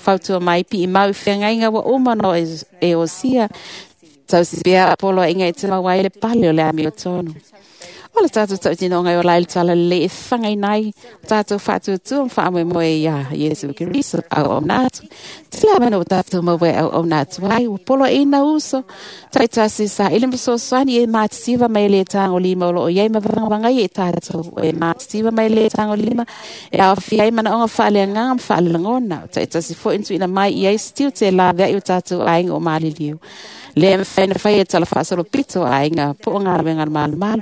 fautua mai piimau i feagaiga ua uma ona e osia. Tausi pea poloaiga e te mau ai le pale o le amiotonu. O le tātou tautinoga e ola ai le tala lelei e fagaina ai o tātou faatuatua ma faamoemoe iā Iesu Keriso auauna atu. Te le avanoa ua tātou maua e auauna atu ai, ua poloaiina uso. Taitasi saili ma fesoasoani e matisiva mai le tagolima o loo iai ma vagavagai e tātou. E matisiva mai le tagolima e aofia ai manaoga faaleagaga ma faalelagona. O taitasi foʻi na tuuina mai i ai se tiute e laveai o tātou aiga o maliliu. Le mafai na fai e tala faasolopito aiga po o galuega le malumalu.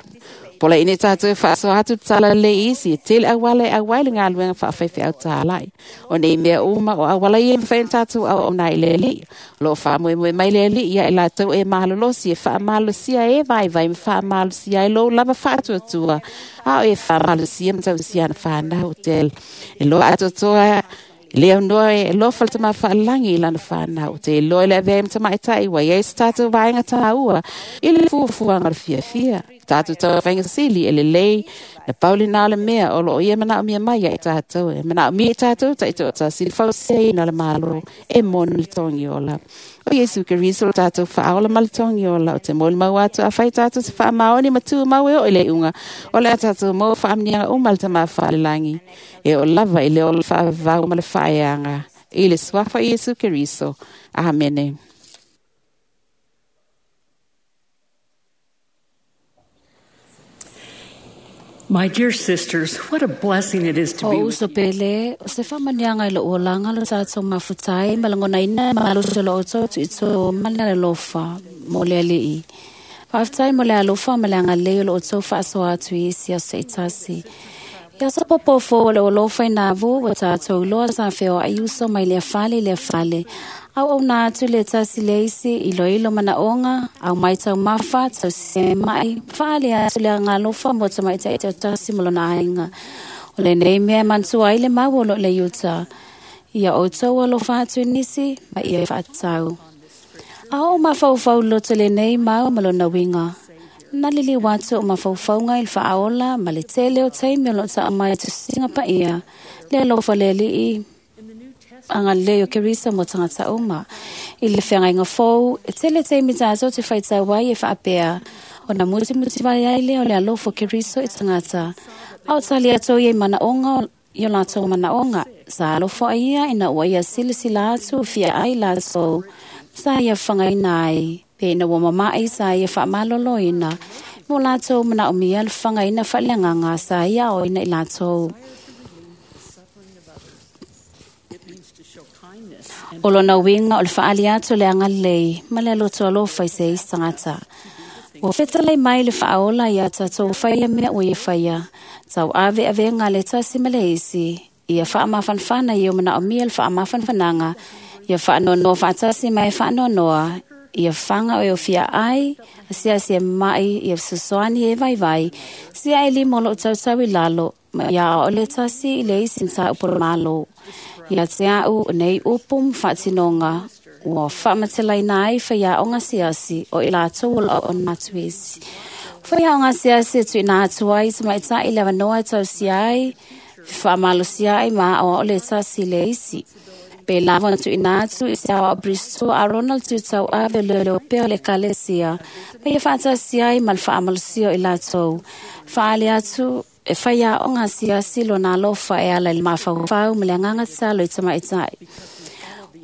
Pola ine tātou e faasoa atu te tala lelei isi, e tele auala e auai le galuega faafaifeau tālai. O nei mea uma o auala ia e mafai ona tatou auauna ai i le Alii. O loo faamoemoe mai le Alii ia i latou e malolosi e faamalosia e vaivai ma faamalosia ai lou lava faatuatua. A o e faamalosia ma tausia ana whanau te e loa atoatoa le aunoa e alofa le tamā faalelagi i lana whanau. Te iloa i le avea ai ma tamaitai ua iai se tātou vaega tāua i le fuafuaga o le fiafia. Tātou tauvainga sili e lelei na pau lena o le mea o loo ia manaomia mai ia i tātou. E manaomia i tātou taitoatasi le fausiaina o le Malo e moni le togiola. O Iesu Keriso lo tātou faaola ma le togiola. O te molimau atu afai tātou te faamaoni ma tumau e oo i le iuga o le a tātou maua faamanuiaga uma le tamā faalelagi. E oo lava i le ola faavavau ma le faaeaga i le suafa o Iesu Keriso. Amene. My dear sisters, what a blessing it is to O be uso pele, o se whamanianga i lo uolanga lo tātou mafutai, malangona ina maloso lo oto tu ito mana le lofa, mo le alii. Whaftai mo le alofa ma le angalei o lo oto whaasoa atu i isi aso e tasi. Ia sa popofo o le olofa i nā vu, wa tātou loa sa wheo ai uso mai le fale i le fale. Au au nā atu le tasi le isi, ilo ilo mana onga, au mai tau mafa, tau se mai, whaale atu le ngalofa mo ta mai te tasi mo lona ainga. O le nei mea mantua ai le mau o lo le iuta. Ia outou alofa atu nisi, ma ia whaatau. A o mafaufau loto le nei mau ma lona winga. Na lili watu o mafaufaunga i le faaola ma le tele o taimi o lo taa mai tusiga paia. Le alofa le alii anga lei o Kerisa mo tangata uma. I le feagaiga fou, e tele taimi tātou te whaitau ai e whaapea. O na muti muti vai ai lea o le alofa o Keriso i tangata. A o tali atou ia i manaonga i o latou manaonga. Sa alofa ai ia ina ua ia silasila atu fia ai latou. Sa ia whangaina ai. Pe ina ua mama'i sa ia whaamaloloina. Mo latou manaomia le whangaina whaaleagaga sa ia o ina i latou. O lona uiga o le faali atu o le agalelei ma le aloto alofa i se isi tagata. Ua fetalai mai le faaola ia tatou faia mea ua ia faia. Tau ave avega le tasi ma le isi. Ia faamafanafana ia o manaomia le faamafanafanaga. Ia faanoanoa faatasi ma e faanoanoa. Ia fanga o e ofia ai, asiasi e mai, ia fesoasoani e vaivai. Sia e lima o loo tautau i lalo, ma ia ao le tasi i le isi mataupu o le Malo. Ia te au o nei upu ma faatinoga. Ua faamatelaina ai faiaoga asiasi o i latou o loo ona atu isi. Faiaoga asiasi e tuuina atu ai i tamaitai le avanoa e tausia ai, fefaamalosia ai ma aoao le tasi i le isi. Pe lava ona tuuina atu i se aoao Bristow a Ronald Tutauave o leoleo pea o le ekalesia, ma ia faatasi ai ma le faamalosia o i latou. Faaali atu e faiaoga asiasi lona alofa e ala i le mafaufau ma le agaga tatalo i tamaitai.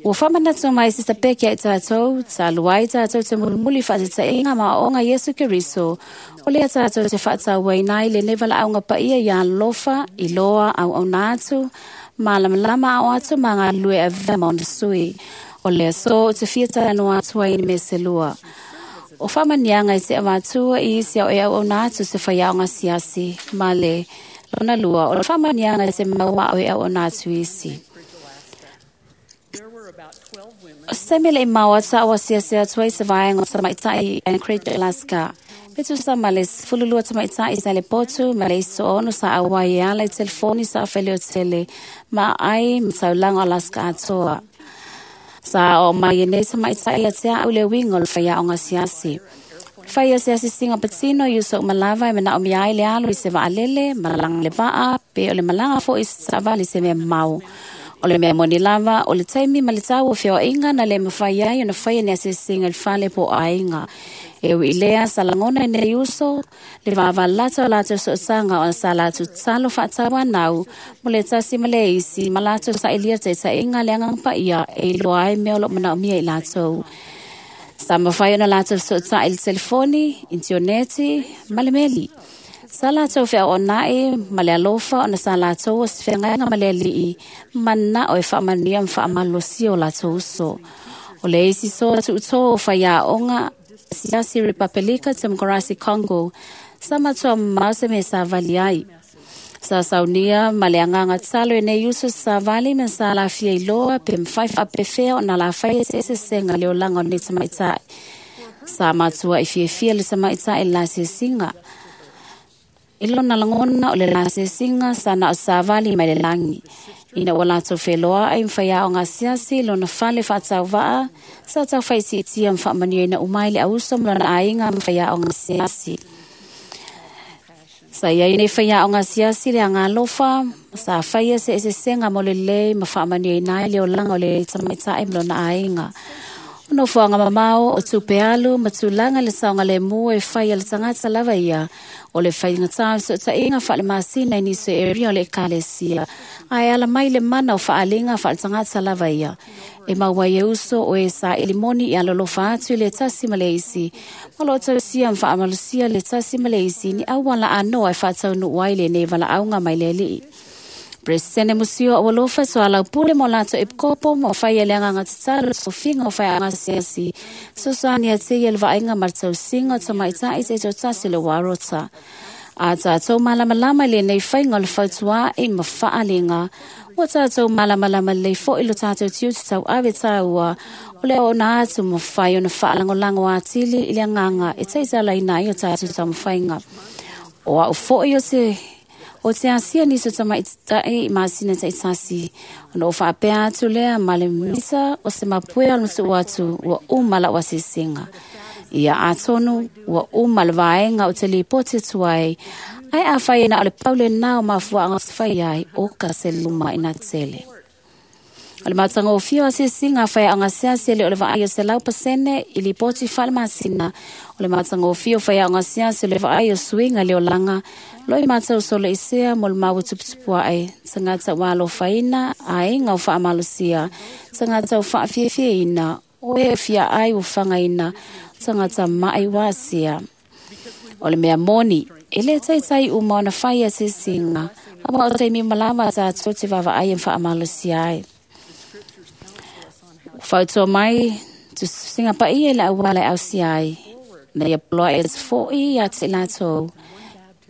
Ua faamanatu mai Sista Peke ia i tatou, talu ai tatou te mulimuli faatetaiga ma aoaoga Iesu Keriso, o lea tatou te faatauaina ai lenei valaauga paia ia alolofa, iloa, auauna atu, malamalama ao atu ma galulue avea ma ona sui. O le aso ou te fia talanoa atu ai i mea se lua. O faamaniaga e te avatua i isi ao e auauna atu se faiaoga asiasi, ma le lona lua, o le faamaniaga e te maua ao e auauna atu isi. O se taimi e le i mau atu au asiasi atu ai se vaega o tamaitai i Anchorage, Alaska. Pe tusa ma le 12 tamaitai sa le potu ma le isi 60 sa auai e ala i telefoni sa faleotele ma ai ma taulaga o Alaska atoa. Sa o mai e nei tamaitai ia te au le uiga o le faiaoga asiasi. Fai asiasi singa patino i uso malava e manaomia ai le alu i se vaalele, malaga le vaa, pe o le malaga foi i se taavale i se mea mamao. O le mea moni lava, o le taimi ma le tau o feoaiga na le mafai ai ona faia ni asiasiga i le fale po o aiga. E ui i lea sa lagona e nei uso, le vavalata o latou sootaga ona sa latou tatalo faatauanau mo le tasi ma le isi ma latou sailia taitaiga le agaga paia e iloa ai mea o loo manaomia i latou. Sa mafai ona latou sootai i le telefoni, intioneti ma le meli. Sa latou feaoonai ma le alofa ona sa latou o se feagaiga ma le alii, manao e faamanuia ma faamalosia o latou uso. O le isi so tuutō o faiaoga asiasi Repapelika Temokarasi Congo, sa matua mamao se mea sa vali ai. Sa saunia ma le agaga tatalo e nei uso sa vali ma sa lafia iloa pe mafai faapefea ona lafai e se eseesega le olaga o lenei tamaitai. Sa matua i fiafia le tamaitai i le lasiasiga. I lona lagona o le lasiasiga sa na o savali mai le lagi. Ina ua latou feloai ma faiaoga asiasi lona fale faatauvaa, sa taufaitiitia ma faamanuiaina uma ai le auso ma lona aiga ma faiaoga asiasi. Sa iai nei faiaoga asiasi le agalofa, sa faia se eseesega mo lelei ma faamanuiaina ai le olaga o le tamaitai ma lona aiga. O nofoaga mamao o tupe alu ma tulaga le saogalemu e fai a le tagata lava ia, o le faigatā o fesootaiga faalemasina i nisi o area o le ekalesia, ae ala mai le mana o faaalega faaletagata lava ia. E maua ai e uso o e saili moni i alolofa atu i le tasi ma le isi, ma loo tausia ma faamalosia le tasi ma le isi ni auala anoa e faataunuu ai lenei valaauga mai le alii. Presidente Musio o alofa so alau pule mo lato e kopo mo whai le agaga tatalo sofiga o whai asiasi. So soani a te ia le vaaiga ma le tausiga o tamaitai te totasi le warota. A tātou malamalama i lenei faiga o le fautua'i ma faaaliga, ua tātou malamalama lelei fo'i lo tātou tiute tauave tāua o le ona atu mafai ona faalagolago atili i le agaga e taitalaina ai o tātou taumafaiga. O au fo'i o te o te asia nisi o tamaitai i masina taitasi, ona o faapea atu lea ma le misa o se mapuea o le matuu atu ua uma lau asiasiga. Ia atonu ua uma le vaega o te lipoti atu ai, ae afai e na o le pau lenā o mafuaaga o se fai ai, o ka se luma ina tele. O le matagofie o asiasiga a faiaoga asiasi e le o le vaai o 100% i lipoti faalemasina. O le matagofie o faiaoga asiasi o le vaai o suiga le olaga, lo i matau soloisea mo le maua tuputupu ae, tagata ua alofaina, aiga o faamalosia, tagata o faafiafiaina, o e fia ai ua fagaina, tagata mai ua asia. O le mea moni, e le taitai uma ona fai asiasiga, aua o taimi malama tātou te vaavaai e faamalosia ai. Fautua mai, tusinga paia i le auala e ausia ai, na ia poloa e te fo'i ia te latou.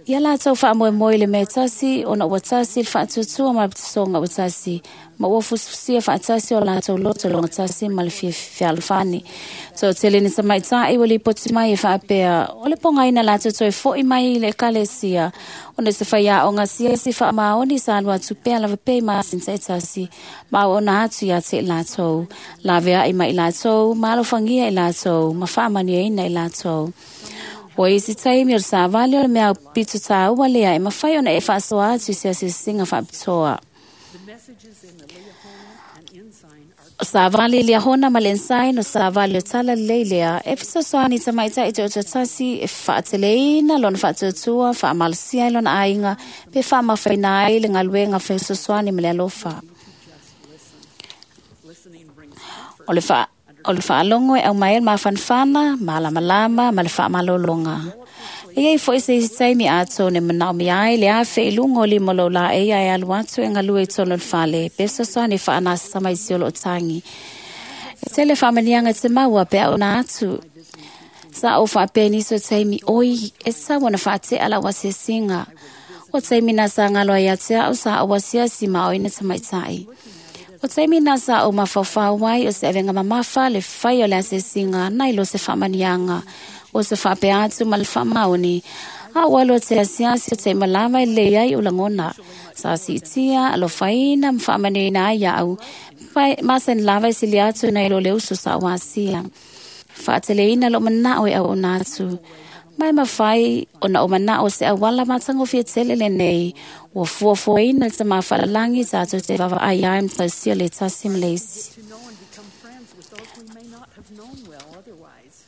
Ia lātou faamoemoe i le mea e tasi, ona ua tasi le faatuatua ma le pitosoga ua tasi, ma ua fusifusia faatasi o latou loto logatasi ma le fealofani. Toatele ni tamaitai ua lipoti mai e faapea, o le pogaina latou toe fo'i mai i le ekalesia, ona se faiaoga asiasi faamaoni sa alu atu pea lava pea i masina taitasi, ma auauna atu ia te i latou, laveai mai i latou, ma alofagia i latou, ma faamanuiaina i latou. Ua isi taimi o le savali o le mea aupito tāua lea e mafai ona e faasoa atu i se asiasiga faapitoa. O savali i Liahona ma le Ensign o savali o tala lelei lea e fesoasoani i tamaitai toatasi e faateleina lona faatuatua, faamalosia ai lona aiga, pe faamafaina ai le galuega fesoasoani ma le alofa. O le faalogo e aumai ai le mafanafana, malamalama ma le faamalologa. E iai foi se isi taimi atonu e manaomia ai le afe i luga o lima o lou laei ae alu atu e galue i totonu o le fale, pe fesoasoani e faanasa tamaiti o loo tagi. E tele faamaniaga e te maua pe auna atu. Sa ou faapea nisi o taimi, oi, e tatau ona faatea lau asiasiga. O taimi na sa galo ai ia te au sa ou asiasi ma aoina tamaitai. O taimi na sa ou mafaufau ai o se avega mamafa le fai o le asiasiga nai lo se faamaniaga, o se faapea atu ma le faamaoni. A ua alu te asiasi o taima lava e lelei ai o lagona. Sa siitia, alofaina ma faamanuiaina ai ia'u, masani lava e sili atu nai lo le uso sa ou asia. Faateleina lou manao e auauna atu. Mai mafai ona o manao se auala matagofie tele lenei, ua fuafuaina le tamā faalalagi tatou te vaavaai ai ma tausia le tasi ma le isi. To know and become friends with those we may not have known well otherwise.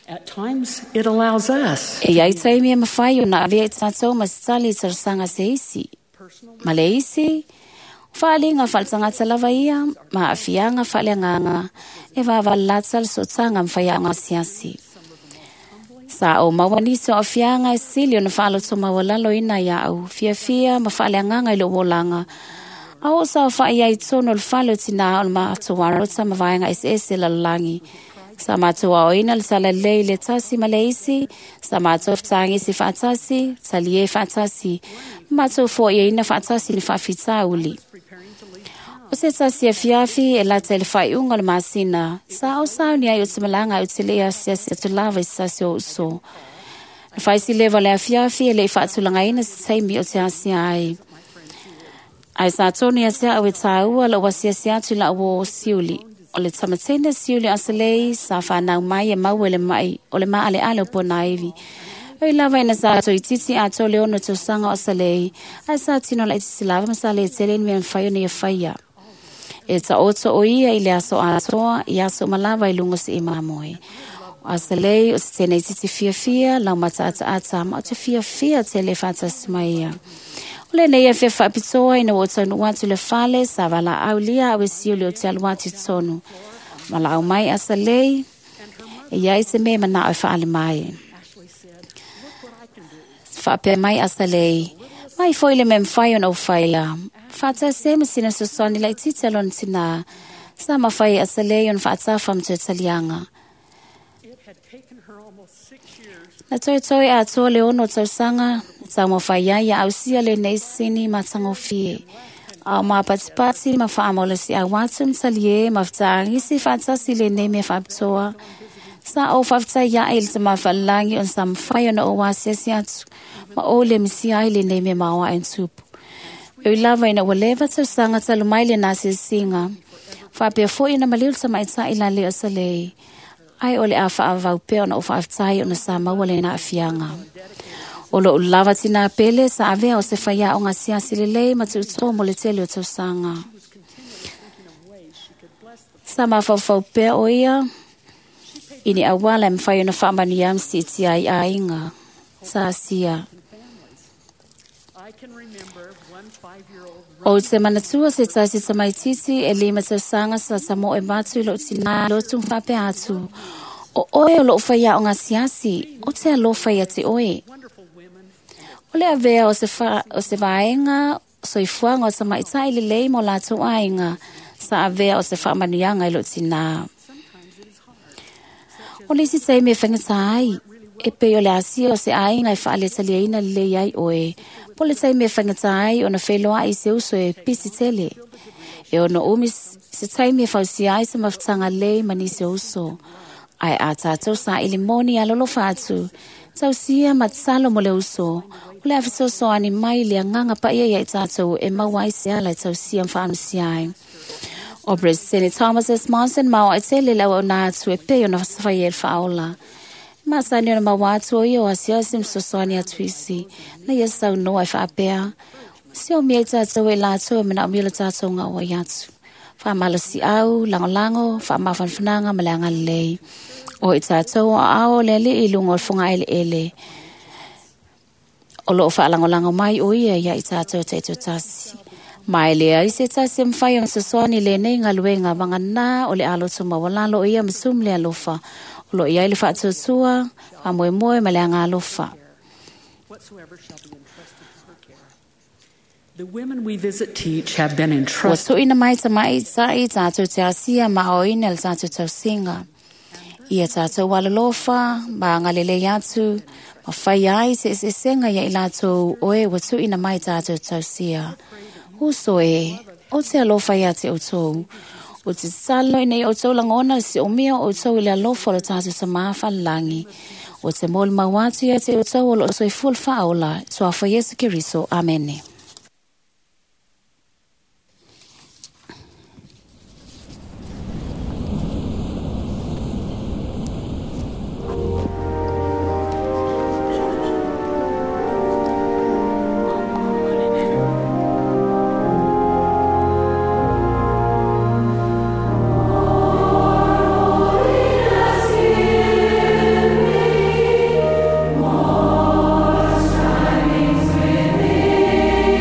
At times, it allows us E iai taimi e mafai ona avea i tatou ma se tali i talosaga se isi. Ma le isi, o faaliga faaletagata lava ia, ma aafiaga faaleagaga, e vavalalata le sootaga ma faiaoga asiasi. Sa ou maua nisi o aafiaga e sili ona faaloto maualaloina ia'u, fiafia ma faaleagaga i lou olaga. A oo saofa'i ai i totonu o le fale o tinā o le matou arota ma vaega eseese lalolagi. Sa matou aoina le talalelei i le tasi ma le isi, sa matou fetagisi faatasi, talie faatasi, ma matou foaiaina faatasi ni faafitauli. O se tasi afiafi e lata i le faaiuga o le masina, sa ou sauni ai o te malaga ai ou te le asiasi atu lava i se tasi o uso. Na faisileva o le afiafi e le i faatulagaina se taimi o te asia ai. Ae sa tonu ia te au e tāua lou asiasi atu i lau uo siuli. O le tamateine siuli asalei sa whanau mai e maua le mai o le maaleale o pona ivi. Oi lava ina sa toititi atoa le 6 tausaga o asalei, ae sa tino laitiiti lava ma sa le tele ni mea mafai ona ia faia. E taoto o ia i le aso atoa, i aso uma lava i luga o se imamoe. O asalei o se tene titi fiafia, lau mataataata, ma o te fiafia tele faatasi mai ia. O lenei e fia faapitoa ina ua ou taunuu atu i le fale, sa valaau lia au e siuli o te alu atu i totonu. Ma laau mai asalei, e iai se mea e manao e faale mai. Faapea mai asalei, mai foi le mea mafai ona ou faia. Faatasi ai ma sina fesoasoani laitiiti a lona tinā. Sa mafai e asalei ona faatafa ma toe taliaga. It had taken her almost 6 years Na toetoe atoa le 6 tausaga, na taumafai ai ia ausia lenei sini matagofie. A o mapatipati ma faamalosiau atu ma talie ma fetaagisi faatasi lenei mea faapitoa. Sa ou faafetai ae i le tamā faalalagi ona sa mafai ona ou asiasi atu, ma ou le misia ai lenei mea maoae ona tupu. E ui lava ina ua leva tausaga talu mai lena asiasiga. Faapea foi ona maliu le tamaitai la le o salei. Ai o le a faavau pea ona ou faafetai ona sa maua lena aafiaga. O lou lava tinā pele sa avea o se faiaoga asiasi lelei ma tuuto mo le tele o tausaga. Sa mafaufau pea o ia i ni auala e mafai ona faamanuia ma siitia ai aiga. Sa asia. I can remember one 5-year-old O te manatua se tasi tamaitiiti e 5 tausaga sa tamoe matu i lou tinā lotu ma faapea atu. O oe o lou faiaoga asiasi, o te alofa ia te oe. wonderful women O le avea o se vaega soifuaga o tamaitai lelei mo latou aiga, sa avea o se faamanuiaga i lou tinā. O le isi taimi e faigata ai, E pei o le asia o se aiga e faaletaliaina lelei ai oe. Po le taimi e faigata ai ona feiloai i se uso e pisi tele. E ono umi se taimi e fausia ai se mafutaga lelei ma nisi o uso. Ae a tatou saili moni alolofa atu, tausia ma tatalo mo le uso, o le a fesoasoani mai le agaga paia ia i tatou e maua ai se ala e tausia ma faamanusia ai. O President Thomas S. Monson ma o tele le auauna atu e pei ona fai e le faaola. E masani ona maua atu o ia o asiasi ma fesoasoani atu isi, na ia saunoa e faapea, si o mea i tatou e latou e manaomia lo tatou gauai atu. Faamalosiau, lagolago, faamafanafanaga ma le agalelei. O i tatou o aao le alii i luga o le fogaeleele. O loo faalagolago mai o ia ia i tatou taitoatasi. Ma e leai se tasi e mafai ona fesoasoani i lenei galuega vagana o le aloto maualalo o ia ma sumu le alofa. O loo i ai le faatuatua, faamoemoe ma le agalofa. Whatsoever shall be entrusted to her care. The women we visit teach have been Ua entrusted tuuina mai tamaitai tatou te asia ma aoina le tatou tausiga. Ia tatou alolofa ma agalelei atu, ma fai ai se eseesega ia i latou oe ua tuuina mai tatou tausia. Uso e, o te alofa ia te outou. O te tatalo ina ia outou lagona le siomia o outou i le alofa o le tatou Tamā falelagi. O te molimau atu ia te outou o loo soifua le faaola, suafa Iesu Keriso. Amene. More shining within.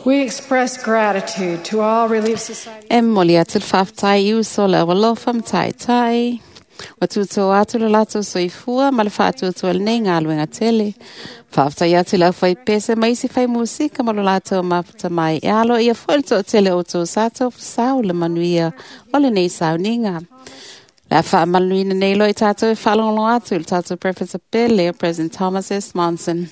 We express gratitude to all Relief Society. E moli atu le faafetai i uso le aualofa ma taetai. Ua tutu atu le latou soifua ma le faatuatua lenei galuega tele. Faafetai atu i le aufaipese ma isi fai musika ma lo latou mafuta mai. E alo ia foi le toatele o outou sa taufasau le manuia o lenei sauniga. Le a faamanuina nei loa i tatou e faalogologo atu i le tatou Professor Pele, President Thomas S. Monson.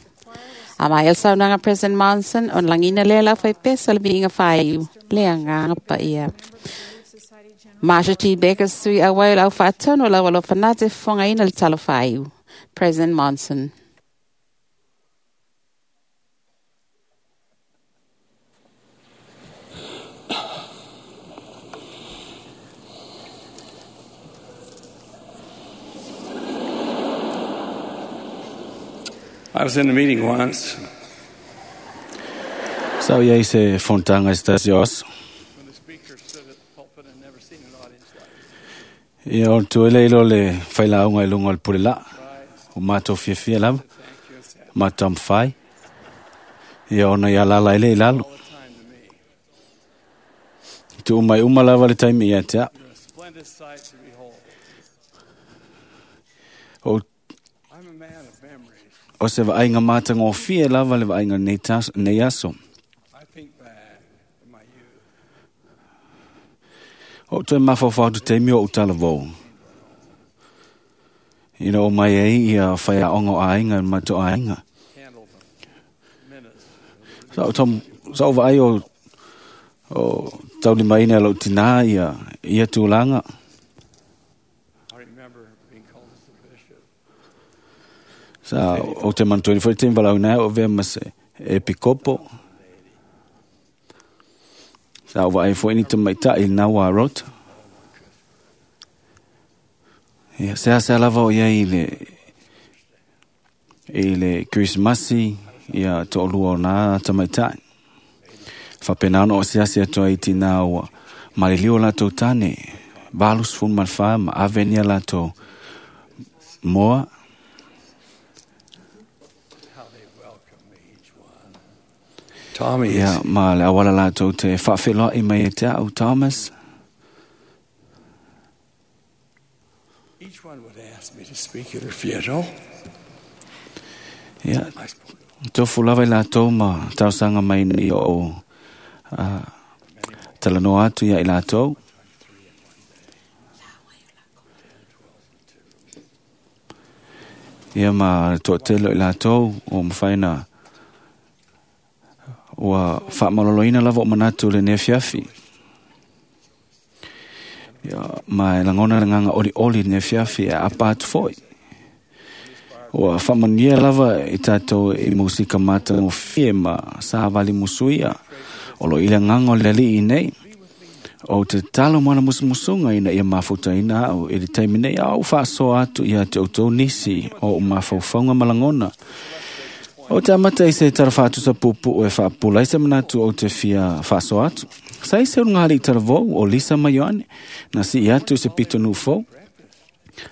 A mai el saunoaga President Monson, ona lagiina lea le aufaipese o le viiga faaiu, le agaga paia. Marsha T. Baker sui auai o le aufaatonu o le aualofa na te fofogaina le talo faaiu. President Monson. I was in a meeting once. Sa o iai se fonotaga i se tasi o aso. When the speaker stood at the pulpit and never seen an audience like this. Ia o le tuele ilo le failauga i luga o le pule laa. O matou fiafia lava. Matou mafai. Ia ona ia lala ele i lalo. All the time to me. Tuu mai uma lava le taimi ia te au. You're a splendid sight to behold. O, I'm a man of memories. o se vaaiga matagofie lava le vaaiga nei, tas, nei aso. I think back to my youth. O toe mafaufau atu taimi o utalavou. Ina o mai ai ia whaiaonga o aiga ma to aiga. Handle the menace. Sa o tom, sa o vaai o, o taulimaina lau tina ia, ia tūlanga. I remember being called as the bishop. Sa o te mantuani foi te walau nai o vea ma se epikopo. Sa o vaai foi ni te maitai i nā wā rota. Ia, se asa lava o ia i le, i le Krismasi, ia to'olua o nā tamaitai. Faapena ona o asiasi atu ai i tinā ua maliliu o latou tane, 84 ma ave ni a latou moa. How they welcome me, each one. Tommy Ia, is ma le awala latou te faafeloai mai e te au Thomas. Each one would ask me to speak at her funeral. Ia, I spoke tofu lava i latou ma tausaga mai nei o talanoa atu ia i latou. Ia ma le toatele o i latou o mafai na ua faamaloloina lava o manatu le neafiafi. Ia, ma e lagona le agaga olioli i le neafiafi e apa atu foi. Ua faamanuia lava i tatou i musika matagofie ma savali musuia. O lo i le agaga o le alii nei. O te tatalo ma ona musumusuga ina ia mafutaina au i le taimi nei a ou faasoa atu ia te outou nisi o ou mafaufauga ma lagona. O te amata i se tala faatusa puupuu e faapula ai se manatu o te fia faasoa atu. Sa i se ulugalii talavou o Lisa ma Ioane na sii atu i se pitonuu fou.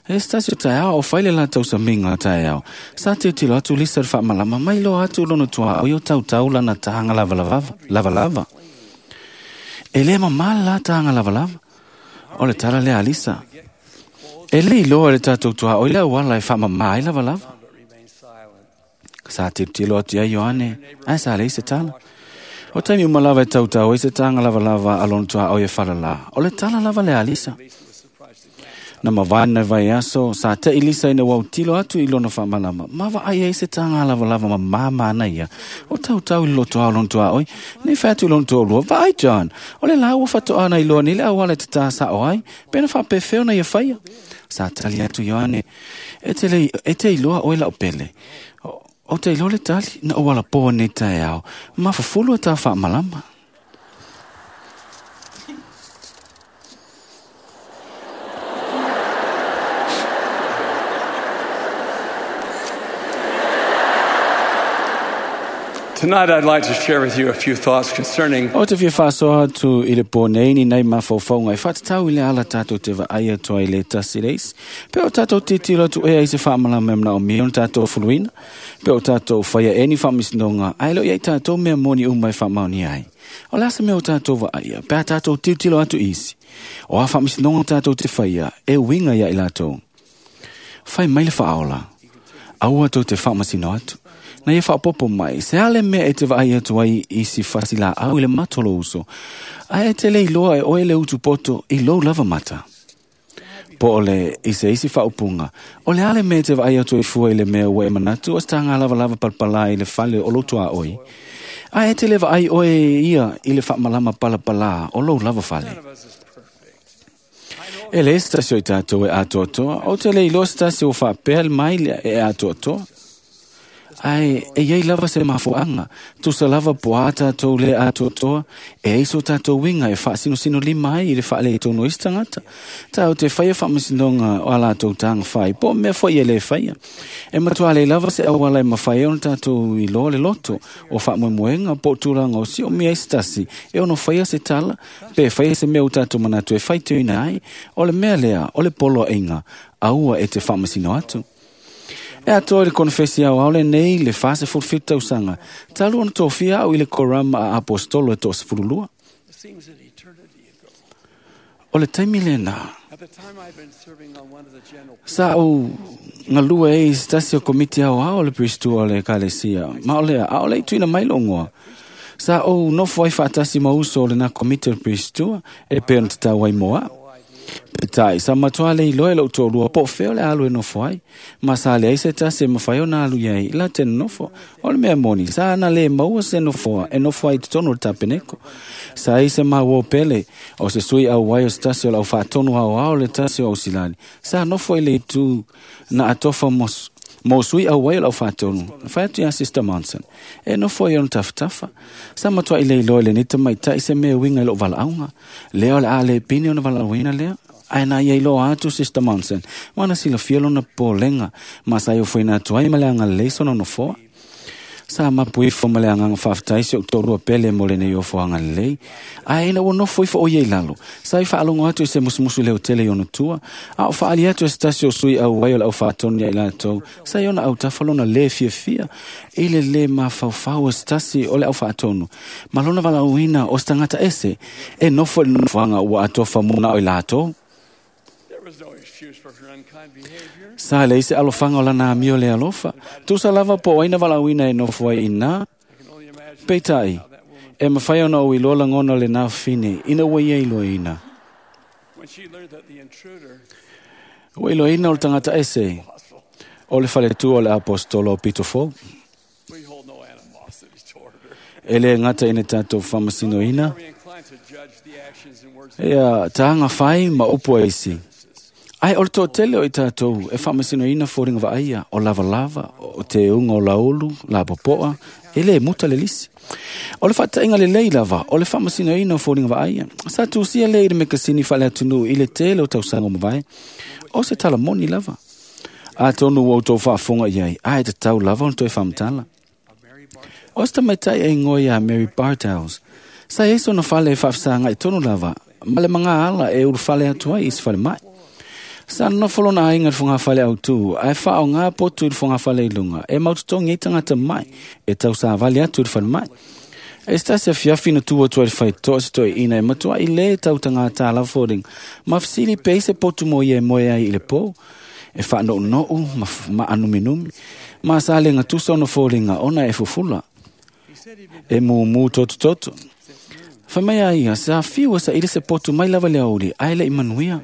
E se tasi o taeao o fai le latou samiga taeao. Sa tilotilo atu Lisa i le faamalama mai loa atu lona tuaoi o tautau lana taga lavalava, lavalava. E lē mamā le la taga lavalava. O le tala lea a Lisa. E le iloa e le tatou tuaoi le auala e faamamā ai lavalava. but remained silent. Sa tilotilo atu ia Ioane, ae sa leai se tala. O taimi uma lava e tautau ai se taga lavalava a lona tuaoi e falalā. O le tala lava lea a Lisa. Lisa was surprised to glance Na mavae na vai aso, sa te i Lisa ina wau tilo atu i lona whaamalama. Ma vaai ai se tāngā lava lava ma māmā ia. O tau tau i loto au lona tua oi. Nei whai atu i lona tua lua. Vaai John. O le lau whato ana i loa ni le awale te tā sa o ai. Pena whapewheo na ia whaia. Sa tali atu Ioane. E te, le, e te iloa oe lau pele. O te iloa le tali na o wala pō nei tae ao. Ma fafulu e tā whaamalama. Tonight I'd like to share with you a few thoughts concerning O te fia whaasoa atu i le pō nei ni nei mawhauwhaunga e whaatatau i le ala tātou te vaai atu ai le tasi leis. Pe o tātou titilo atu ea i se whaamalama e mna o mia o tātou fuluina. Pe o tātou whaia e ni whaamisnonga ai lo iai tātou mea moni uma e whaamaoni ai. O le asa mea o tātou vaaia, pe a tātou titilo atu isi. O a whaamisnonga tātou te whaia e winga ia i lātou. Whai mai le whaaola. Aua tau te whaamasino atu. Na ia whaapopo mai, se ale mea e te vaai atu ai i si whasi la au i le matolo uso. Ai e te lei loa e oe le utu poto i lou lava mata. Po o le i se isi whaupunga. O le ale mea e te vaai atu i fua i le mea ua e manatu o stanga lava lava palpala i le fale o lotu a oi. Ai e te le vaai oe ia i le whaamalama palapala o lou lava fale. E le stasi o i tātou e atoatoa, o te le iloa stasi o whaapea le mai e atoatoa. Ai, e iei lava se mafuanga, tusa lava po a tātou le atoatoa, e eiso tātou winga e whaasinosino lima ai i le whaale i tono isi tangata. Tā o te whaia whaamasinonga o a lātou tānga whai, po mea fwai e le whaia. E matua le lava se awala e mawhai ona tātou i loa le loto, o whaamoemoenga po tūranga o si o mea isi tasi, e ono whaia se tala, pe whaia se mea o tātou manatu e whai tuina ai, o le mea lea, o le polo inga, aua e te whaamasino atu. E atoa i le konfesi au aole nei le fase fulfitu tausanga. Talu ona tofia au i le korama a apostolo e toa sefululua. It seems an eternity ago. O le taimi lena. At the time I'd been serving on one of the general Sa au ngalua e i stasi o komiti au ao le pristua o le ekalesia. Ma o lea, a o le tuina mai longoa. Sa au nofo ai whaatasi mauso o le nā komiti o le pristua e pe ona tatau ai moa. Petai, sa matua le iloe lau tōlua po feo le alu e nofo ai. Ma sa le ai se tasi e mawhai o nā alu iai, la te nofo. O le mea moni, sa ana le maua se nofoa, e nofo ai te tono le tapeneko. Sa ai se maua o pele, o se sui au wai o se tasi o lau whaatonu au ao le tasi o ausilani. Sa nofo i le tu na atofa mos. Mo sui au wai o lau whaatonu. Whai atu ia Sister Monson. E nofo i ona tafatafa. Sa matua i le iloe le nita mai tai se mea winga i lou valaauga. Lea o le a le pine ona valaauina lea. Ai nā ia iloa atu Sister Monson. Wana sila fia lona pōlenga. Ma sa iO fuina atu ai ma le anga leso na nofoa. Sa mapu ifo ma le anganga whaaftai se o tōrua pele mo le nei ofo anga lei. Ai ina ua nofo ifo o iei lalo. Sa i whaalongo atu i se musumusu leo tele i ona tua. A o whaali atu e se tasi o sui au wai o le au whaatonu ia i lātou. Sa i ona au tawhalona le fia fia. I le le mawhauwhau o se tasi o le au whaatonu. Ma lona walauina o se tangata ese. E nofo i le nofoanga ua atofa muna o i lātou. There was no excuse for her unkind behavior. Sa le ise alofanga o lana amio le alofa. Tusa lava po aina walauina e nofo ai ina. I can only imagine Peitai, how that woman, e mawhai ona o iloa langona le nā whine, ina ua ia iloa ina. when she learned that the intruder Ua iloa ina o le tangata ese, o le whaletua o le apostolo o Peter Fo. we hold no animosity toward her. E le ngata ina tātou whamasino ina. Are we inclined to judge the actions and words of Ea tānga whai ma upu e isi. Ai, o le tōtele o i tātou, e whamasino ina fōringa vaaia, o lava lava, o te unga o laulu, la popoa, e le muta le lisi. O le whaatainga le lei lava, o le whamasino ina o fōringa vaaia. Sa tūsia le i le mekasini whale atunu i le tele o tausango mawai. O se tala moni lava. A tonu o tō whaafonga iai, ai te tau lava o toi whamtala. O se tamaitai e ngoi a Mary Bartels. Sa eso na whale e whaafisanga i tonu lava, ma le manga ala e uru whale atu ai i se whale mai. Sa nofo lona ainga i whanga whale au tū, ai wha o ngā potu i whanga whale i lunga, e maututongi i tangata mai, e tau sa wale atu i whale mai. E stasi a fiafi na tua tua i whai toa se toi ina e matua i le tau tangata ala fōring, ma fisili pe se potu mo ia e moe ai i le pō, e wha no nou, ma anuminumi, ma sa le ngā tusa ono fōringa ona e fufula, e mū toto toto. Whai mai a ia, sa fiua sa ile se potu mai lava le auri, ai le i manuia.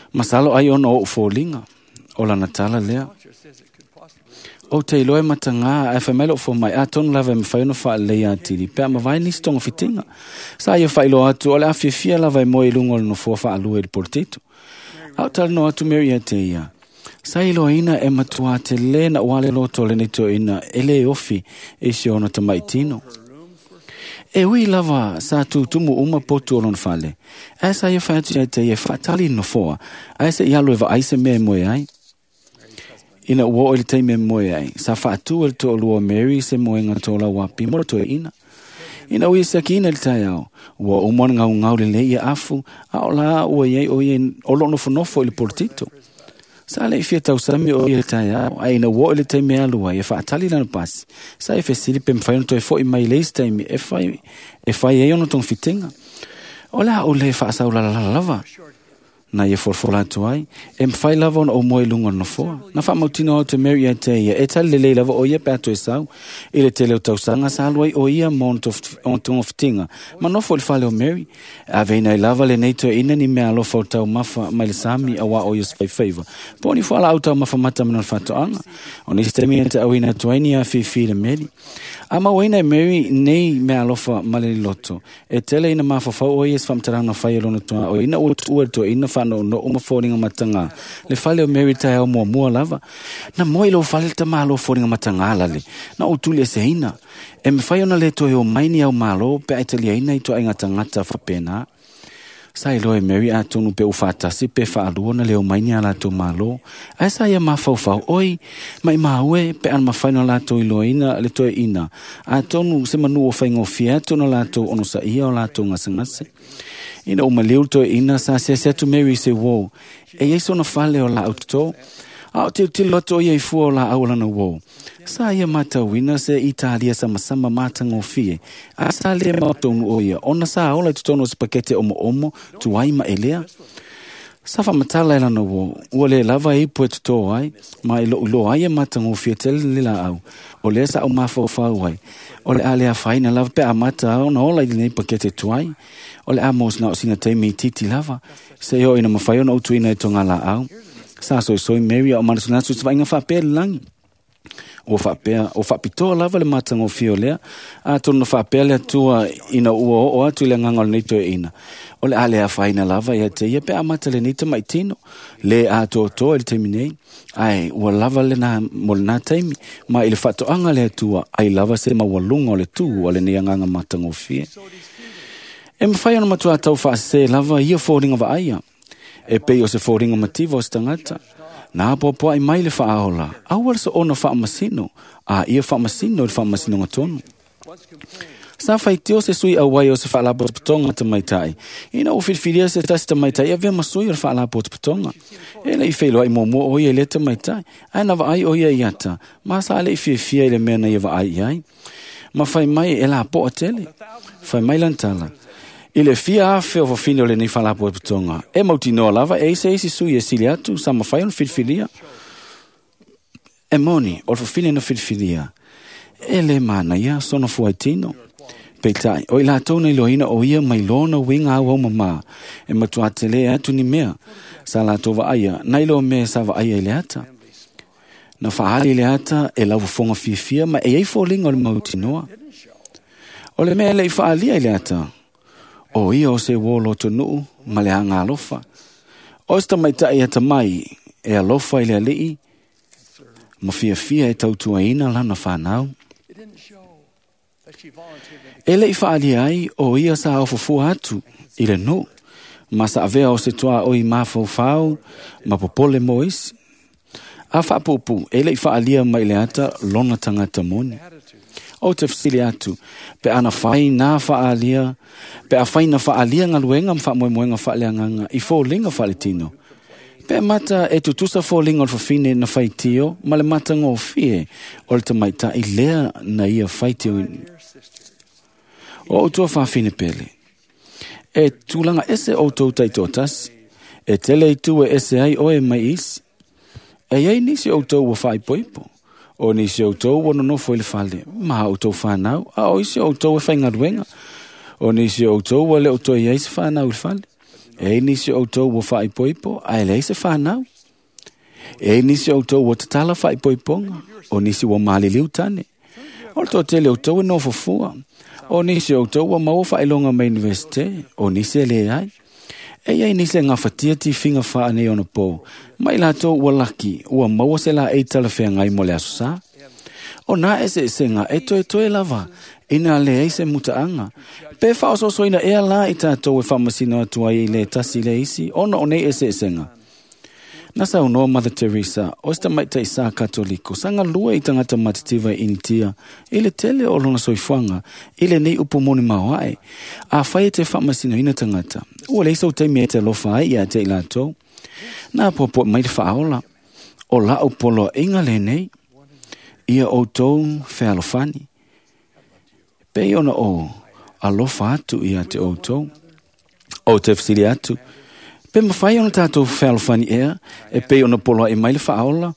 Masalo ai ona o fōlinga, o lana tala lea. O te iloe matanga, ai whai mai lo fō mai, a tonu lava e mwhai ono wha lei atiri, pea mawai nisi tonga fitinga. Sa ia whai iloa atu, o le afiafia lava e moe i lunga o le nofoa wha alua i le portito. Au tala no atu Mary a te ia. Sa iloa ina e matua te le na wale loto le neto ina, e le ofi e si ona tamaitino. E ui lava sa tūtumu uma potu o lona fale. Ai sa ia whai atu ia te ia whaatali nofoa. Ai se ialo e vaai se mea moe ai. Ina ua oo i le taimi e moe ai, sa faatu e le toalua o Mary se moega tolauapi mo le toeaina. Ina ua ia siakiina i le taeao, ua uma ona gaugau lelei ia afu, a o la ua i ai o ia o loo nofonofo i le polotito. Sa le i fia tausami o ia i le taeao, ae ina ua oo i le taimi e alu ai e faatali lana pasi, sa e fesili pe mafai ona toe fo'i mai i le isi taimi e fai ai ona togafitiga. O le a ou le faasaulalala lava? Na ia folafola atu ai, e mafai lava ona ou moe i luga o le nofoa. Na faamautino atu e Mary ia te ia, e tali lelei lava o ia pe a toe sau. I le tele o tausaga sa alu ai o ia ma ona togafitiga, ma nofo i le fale o Mary. E aveina ai lava lenei toeaina ni mea alofa o taumafa mai le sami auā o ia se faifaiva. Po o ni fualaau taumafa mata ma lona faatoaga. O nisi taimi e te auina atu ai ni afifi i le meli. A mauaina e Mary nei mea alofa ma le loto, e tele ina mafaufau o ia i se faamatalaga na fai e lona tuaoi ina ua tuua le toeaina faanoonoo ma foliga matagā. Le fale o Mary taeao muamua lava. Na moe i lou fale le tamālo foliga matagā lale, na ou tulieseina. E mafai ona le toe o mai ni au malo pe a e taliaina i toaiga tagata faapena. Sa iloa e Mary atonu pe ua faatasi pe faalua ona leo mai ni a latou malo. Ae sa ia mafaufau, oi, maimau e, pe ana mafai ona latou iloaina le toeaina. Atonu se manu ua faigofie atu ona latou onosaia o latou gasegase. Ina ua maliu le toeaina, sa asiasi atu Mary i se uo. E i ai sona fale o laau toto. A o tilotilo atu o ia i fua o laau o lana uo. Sa ia matauina se Italia samasama matagofie. A sa le mautonu o ia, ona sa ola i totonu o se pakete omoomo, tuai ma elea. Sa faamatala e lana uo, ua le lava e ipu e toto ai, ma i lou iloa ai e matagofie tele le laau. O lea sa ou mafaufau ai, o le a le afaina lava pe a mata ona ola i lenei pakete tuai. O le a mo na o sina taimi itiiti lava, se i oo ina mafai ona ou tuuina i toga laau. Sa soisoi Mary a o manatunatu i se vaaiga faapea i le lagi. Ua faapea, ua faapitoa lava le matagofie o lea, atonu na faapea le Atua ina ua oo atu i le agaga o lenei toeaina. O le a le afaina lava ia te ia pe a mata lenei tamaitino, le atoatoa i le taimi nei, ae ua lava lena mo lena taimi, ma i le faatoaga a le Atua, ai lava se maualuga o le tū a lenei agaga matagofie. E mafai ona matua tau faasese lava ia foliga vaaia, e pei o se foliga mativa o se tagata. Na apoapoai mai le faaola, aua le soona faamasino, a ia faamasino i le faamasinoga tonu. Sa faitio se sui auai o se faalapotopotoga tamaitai, ina ua filifilia se tasi tamaitai e avea ma sui o le faalapotopotoga. E le i feiloai muamua o ia i lea tamaitai, ae na vaai o ia i ata, ma sa le i fiafia i le mea na ia vaai i ai. Ma fai mai e lapoa tele. Fai mai lana tala, i le fia afe o fafine o lenei faalapotopotoga, e mautinoa lava e i se isi sui e sili atu sa mafai ona filifilia. E moni, o le fafine na filifilia, e le manaia sona fuaitino. Peitai, o i latou na iloaina o ia mai lona uiga auau mamā, e matua tele atu ni mea sa latou vaaia, na iloa mea sa vaaia i le ata. Na faali i le ata e laufofoga fiafia ma e i ai foliga o le mautinoa. O le mea e le i faalia i le ata, o ia o se uo lotonuu ma le aga alofa. O se tamaitai atamai e alofa i le alii ma fiafia e tautuaina lana fanau. E le i faalia ai o ia sa ofofua atu i le nuu, ma sa avea o se tuaoi mafaufau ma popole mo isi. A faapuupuu, e le i faalia mai le ata lona tagata moni. Ou te fesili atu, pe ana fai na faalia, pe a fai na faalia galuega ma faamoemoega faaleagaga i foliga faaletino. Pe mata e tutusa foliga o le fafine na faitio ma le matagofie o le tamaitai lea na ia faitioina. O outou fafine pele, e tulaga ese outou taitoatasi, e tele itu e ese ai oe mai isi. E i ai nisi outou ua faaipoipo, o nisi outou ua nonofo i le fale, ma outou fanau, a o isi outou e faigaluega, o nisi outou ua le o toe i ai se fanau i le fale. E i ai nisi outou ua faaipoipo, ae leai se fanau. E i ai nisi outou ua tatala faaipoipoga, o nisi ua maliliu tane. O le toatele outou e nofo fua, o nisi outou ua maua faailoga mai universite, o nisi e leai. E i ai nisi e gafatia tifiga faaneionapo, ma i latou ua laki, ua maua se laei talafeagai mo le aso sa. O nā eseesega e toetoe lava, ina leai se mutaaga. Pe faaosoosoina ea la i tatou e faamasino atu ai i le tasi le isi, ona o nei eseesega. Na saunoa Mother Teresa, o se tamaitai sa Katoliko, sa galue i tagata matitiva i Initia, i le tele o lona soifuaga, i lenei upu moni maoae. Afai e te faamasinoina tagata, ua leai sou taimi e te alofa ai ia te i latou. Na apoapoai mai le faaola, o la'u poloaiga lenei, ia outou fealofani, pei ona ou alofa atu ia te outou. Ou te fesili atu, pe mafai ona tatou fealofani ea, e pei ona poloai mai le faaola,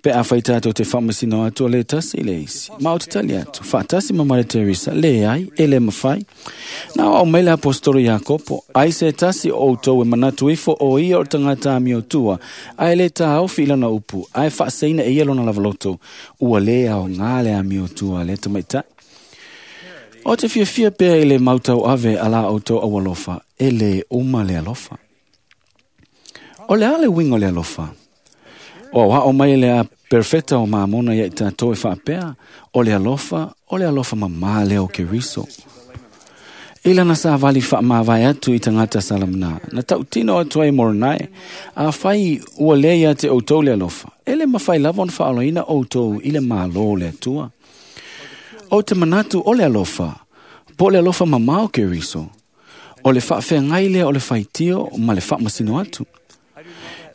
pe afai tatou te faamasino atu o le tasi i le isi. Ma ou te tali atu, faatasi ma Mother Teresa, leai, e le mafai. Na aoao mai le aposetolo Iakopo, ai se tasi o outou e manatu ifo o ia o le tagata amiotua, ae le taofi i lana upu, ae faaseina e ia lona lavaloto, ua lē aogā le amiotua a lea tamaitai. O te fiafia pea i le mautauave a la outou aualofa, e lē uma le alofa. O le a le uiga o le alofa? O aoao mai le a perfeta o mamona ia i tatou e faapea, o le alofa, o le alofa mamā lea o Keriso. I lana savali faamavae atu i tagata salamana, na tautino atu ai Moronae, afai ua lē ia te outou le alofa, e le mafai lava ona faaolaina outou i le Mālō o le Atua. Ou te manatu o le alofa, po o le alofa mamao Keriso, o le faafeagai lea o le faitio ma le faamasino atu.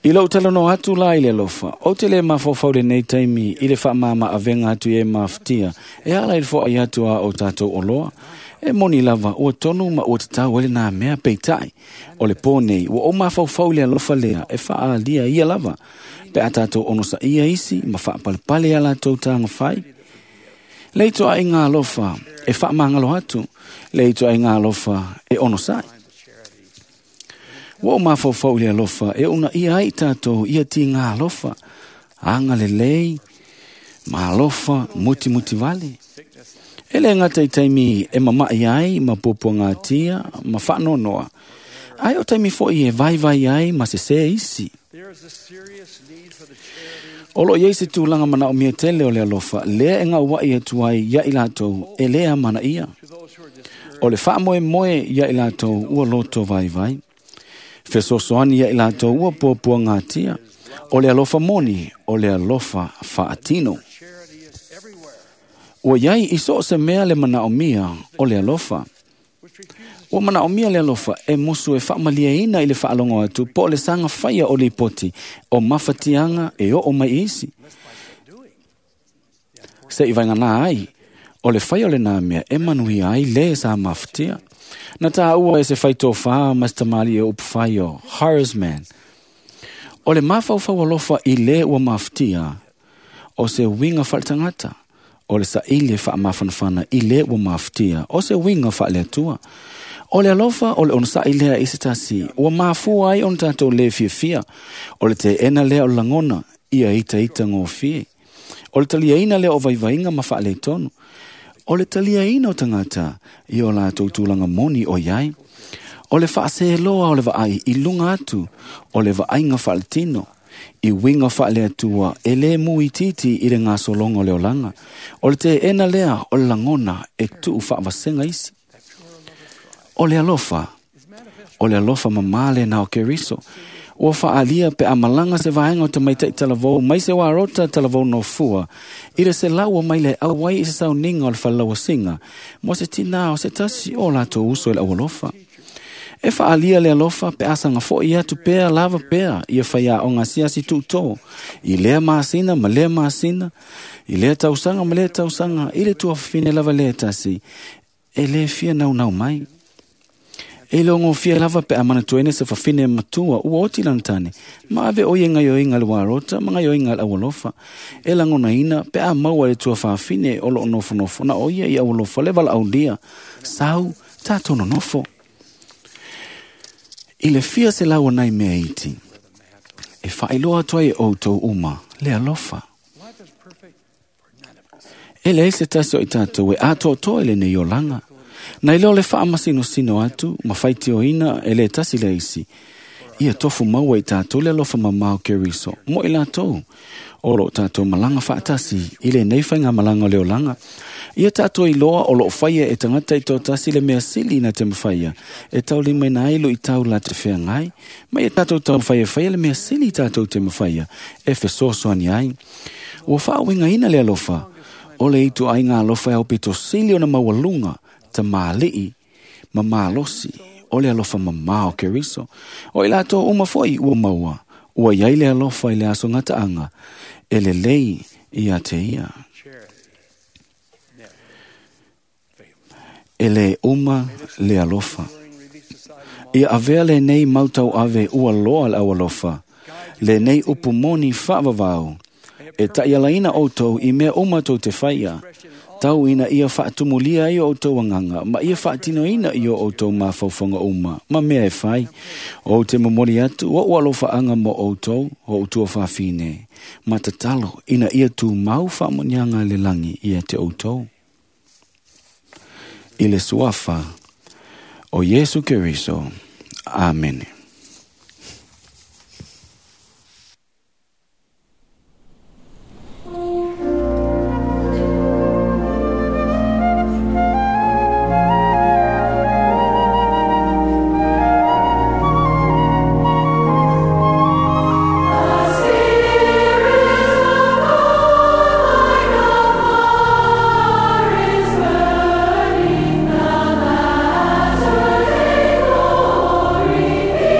I lou talanoa atu la i le alofa, ou te le mafaufau lenei taimi i le faamama-avega atu i e mafatia, e ala i le foai atu a o tatou oloa. E moni lava, ua tonu ma ua tatau ai lenā mea, peitai, o le pō nei, ua ou mafaufau i le alofa lea e faaalia ia lava, pe a tatou onosaia isi ma faapalepale iā latou tagafai. Le ituaiga alofa e faamagalo atu, le ituaiga alofa e onosai. Ua ou mafaufau i le alofa e uunaia ai i tatou ia tiga alofa, agalelei, ma alofa mutimutivale. E le gata i taimi e mama'i ai ma puapuagatia ma faanoanoa, ae o taimi fo'i e vaivai ai ma sesē isi. O loo i ai se tulaga manaomia tele o le alofa, lea e gaua'i atu ai ia i latou e lē amanaia. O le faamoemoe ia i latou ua loto vaivai. Fesoasoani ia i latou ua puapuagatia. O le alofa moni, o le alofa faatino. Ua iai i so o se mea le manaomia o le alofa. Ua manaomia le alofa e musu e faamalieina i le faalogo atu po o le saga faia o lipoti o mafatiaga e oo mai i isi. Se i vaeganā ai, o le faia o lenā mea e manuia ai lē sa mafatia. Na tāua e se faitofā ma se tamalii o upufai o Horace Mann. O le mafaufau alofa i lē ua mafatia, o se uiga faaletagata. O le saili e faamafanafana i lē ua mafatia, o se uiga faaleatua. O le alofa o le onosai lea i se tasi, ua mafua ai ona tatou lē fiafia. O le teena lea o le lagona, ia itaita gofie. O le taliaina lea o vaivaiga ma faaletonu. O le taliaina o tagata i o latou tulaga moni o iai. O le faaseloa o le vaai i luga atu, o le vaaiga faaletino. I uiga faaleatua e lē muititi i le gasologa o le olaga. O le teena lea o le lagona e tuu faavasega isi. O le alofa, o le alofa mamā lenā o Keriso. Ua faaalia pe a malaga se vaega o tamaitai talavou mai se uarota talavou nofua, i le selau mai le auai i se sauniga o le falelauasiga, mo se tinā o se tasi o latou uso i le aualofa. E faaalia le alofa pe a saga fo'i atu pea lava pea ia faiaoga asiasi tuutō, i lea masina ma lea masina, i lea tausaga ma lea tausaga, i le tuafafine lava lea tasi, e lē fia naunau mai. E le ogofia lava pe a manatuaina se fafine matua ua oti lana tane, ma ave o ia gaioiga le uarota ma gaioiga le aualofa. E lagonaina pe a maua le tuafafine o loo nofonofo na o ia i aualofa le valaaulia, sau tatou nonofo. I le fia selau o nai mea iti, e faailoa atu ai e outou uma le alofa. E leai se tasi o i tatou e atoatoa i lenei olaga. Na iloa le faamasinosino atu ma faitioina e le tasi le isi. Ia tofu maua i tatou le alofa mamao Keriso mo i latou O loo tātou malanga whaatasi i le nei whainga malanga o le olanga. Ia tātou iloa o loo whaia e tangata i tō tasi le mea sili na te mwhaia. E tau lima ina ailo i tau la te whea ngai. Ma ia tātou tau whaia whaia le mea sili tātou te mwhaia. E fesoasoani ai. Ua whaawinga ina le alofa. O le itu ai ngā alofa e au pito sili o na maualunga, ta maalii, ma malosi, o le alofa mamao Keriso. O i lātou uma foi ua maua, ua iai le alofa i le aso ngataanga, e le lei ia te ia. E le uma le alofa. Ia avea le nei mautau ave ua loa le au alofa, le nei upu moni whaavavau, e ta'ialaina outou i mea uma tou te faia, tau ina ia faatumulia ai o outou agaga ma ia faatinoina i o outou mafaufaga uma ma mea e fai. Ou te momoli atu oʻu alofaaga mo outou o outua fafine, ma tatalo ina ia tumau faamoniaga le lagi ia te outou. I le suafa o Iesu Keriso. Amene. Burning the latter day glory.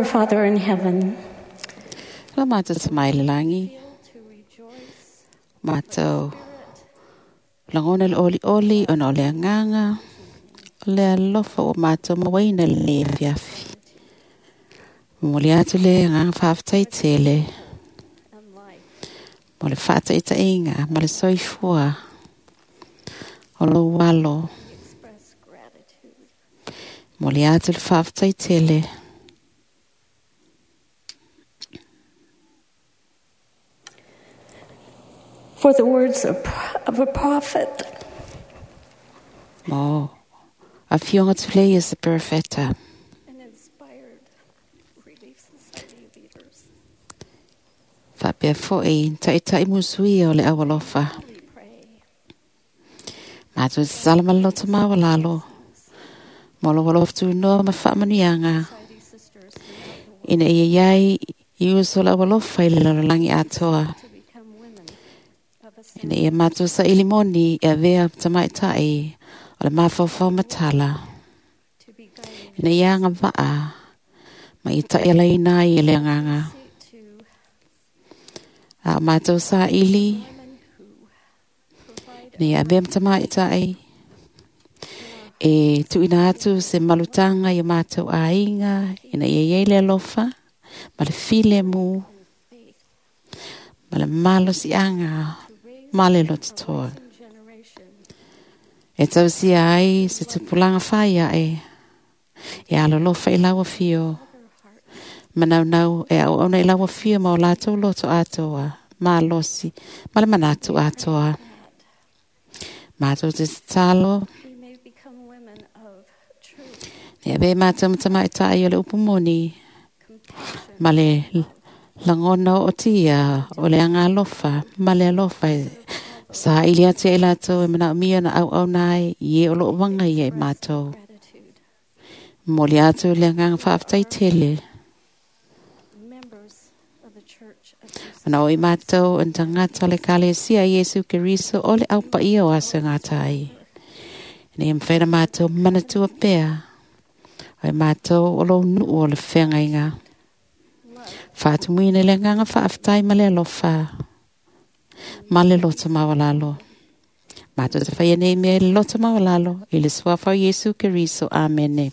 Father in heaven, Lo mātou tamai le langi. Mātou langona le oli oli ona o le anganga. O le alofa o mātou mawaina le fiafi. Momoli atu le anganga whaaftai tele. Mo le whaataitainga, ma le soifua. O lo walo. Momoli atu le whaaftai tele. For the words of a prophet. Mo, a fionga tule is the profeta. And inspired Relief Society leaders. Whapea fo'i, ta'itai musui o le awalofa. Mātou te salama loto mawalalo. Mo lo walof tu noa ma whaamanuianga. Ina ia iai i uso le awalofa i le lalolangi atoa. Ina ia mātou sa ilimoni e avea tamaitai o le mafaufau matala. Ina ia anga vaa ma i tai alaina ai e le anganga. A o mātou sa ili, ina ia avea tamaitai e tuina atu se malutanga i o mātou ainga, ina ia iai le alofa, ma le file mu, ma le malosianga, ma le lototoa. E tausia ai se tupulanga whaia e, e alolofa i laua fio, manaunau e au auna i laua fio ma o lātou loto atoa, malosi, ma le manatu atoa. Mātou te tatalo, e awe mātou matamaitai o le upumoni, ma le langona o tia o le anga alofa, ma le alofa e sa ili atu e lātou e mana umia na au au nai i e o loo wanga ia e mātou. Moli atu le anganga whaaftai tele. Ana o i mātou yn tangata le kalesia Iesu Keriso o le au paia o asa ngātai. Nei mwhera mātou manatua pea. O i mātou o lo nuu o le whengainga. Whaatumuina le nganga whaaftai ma le alofa. Ma le loto mawalalo. Mātou te whaia nei mea le loto mawalalo i le suafa o Iesu Keriso. Amene.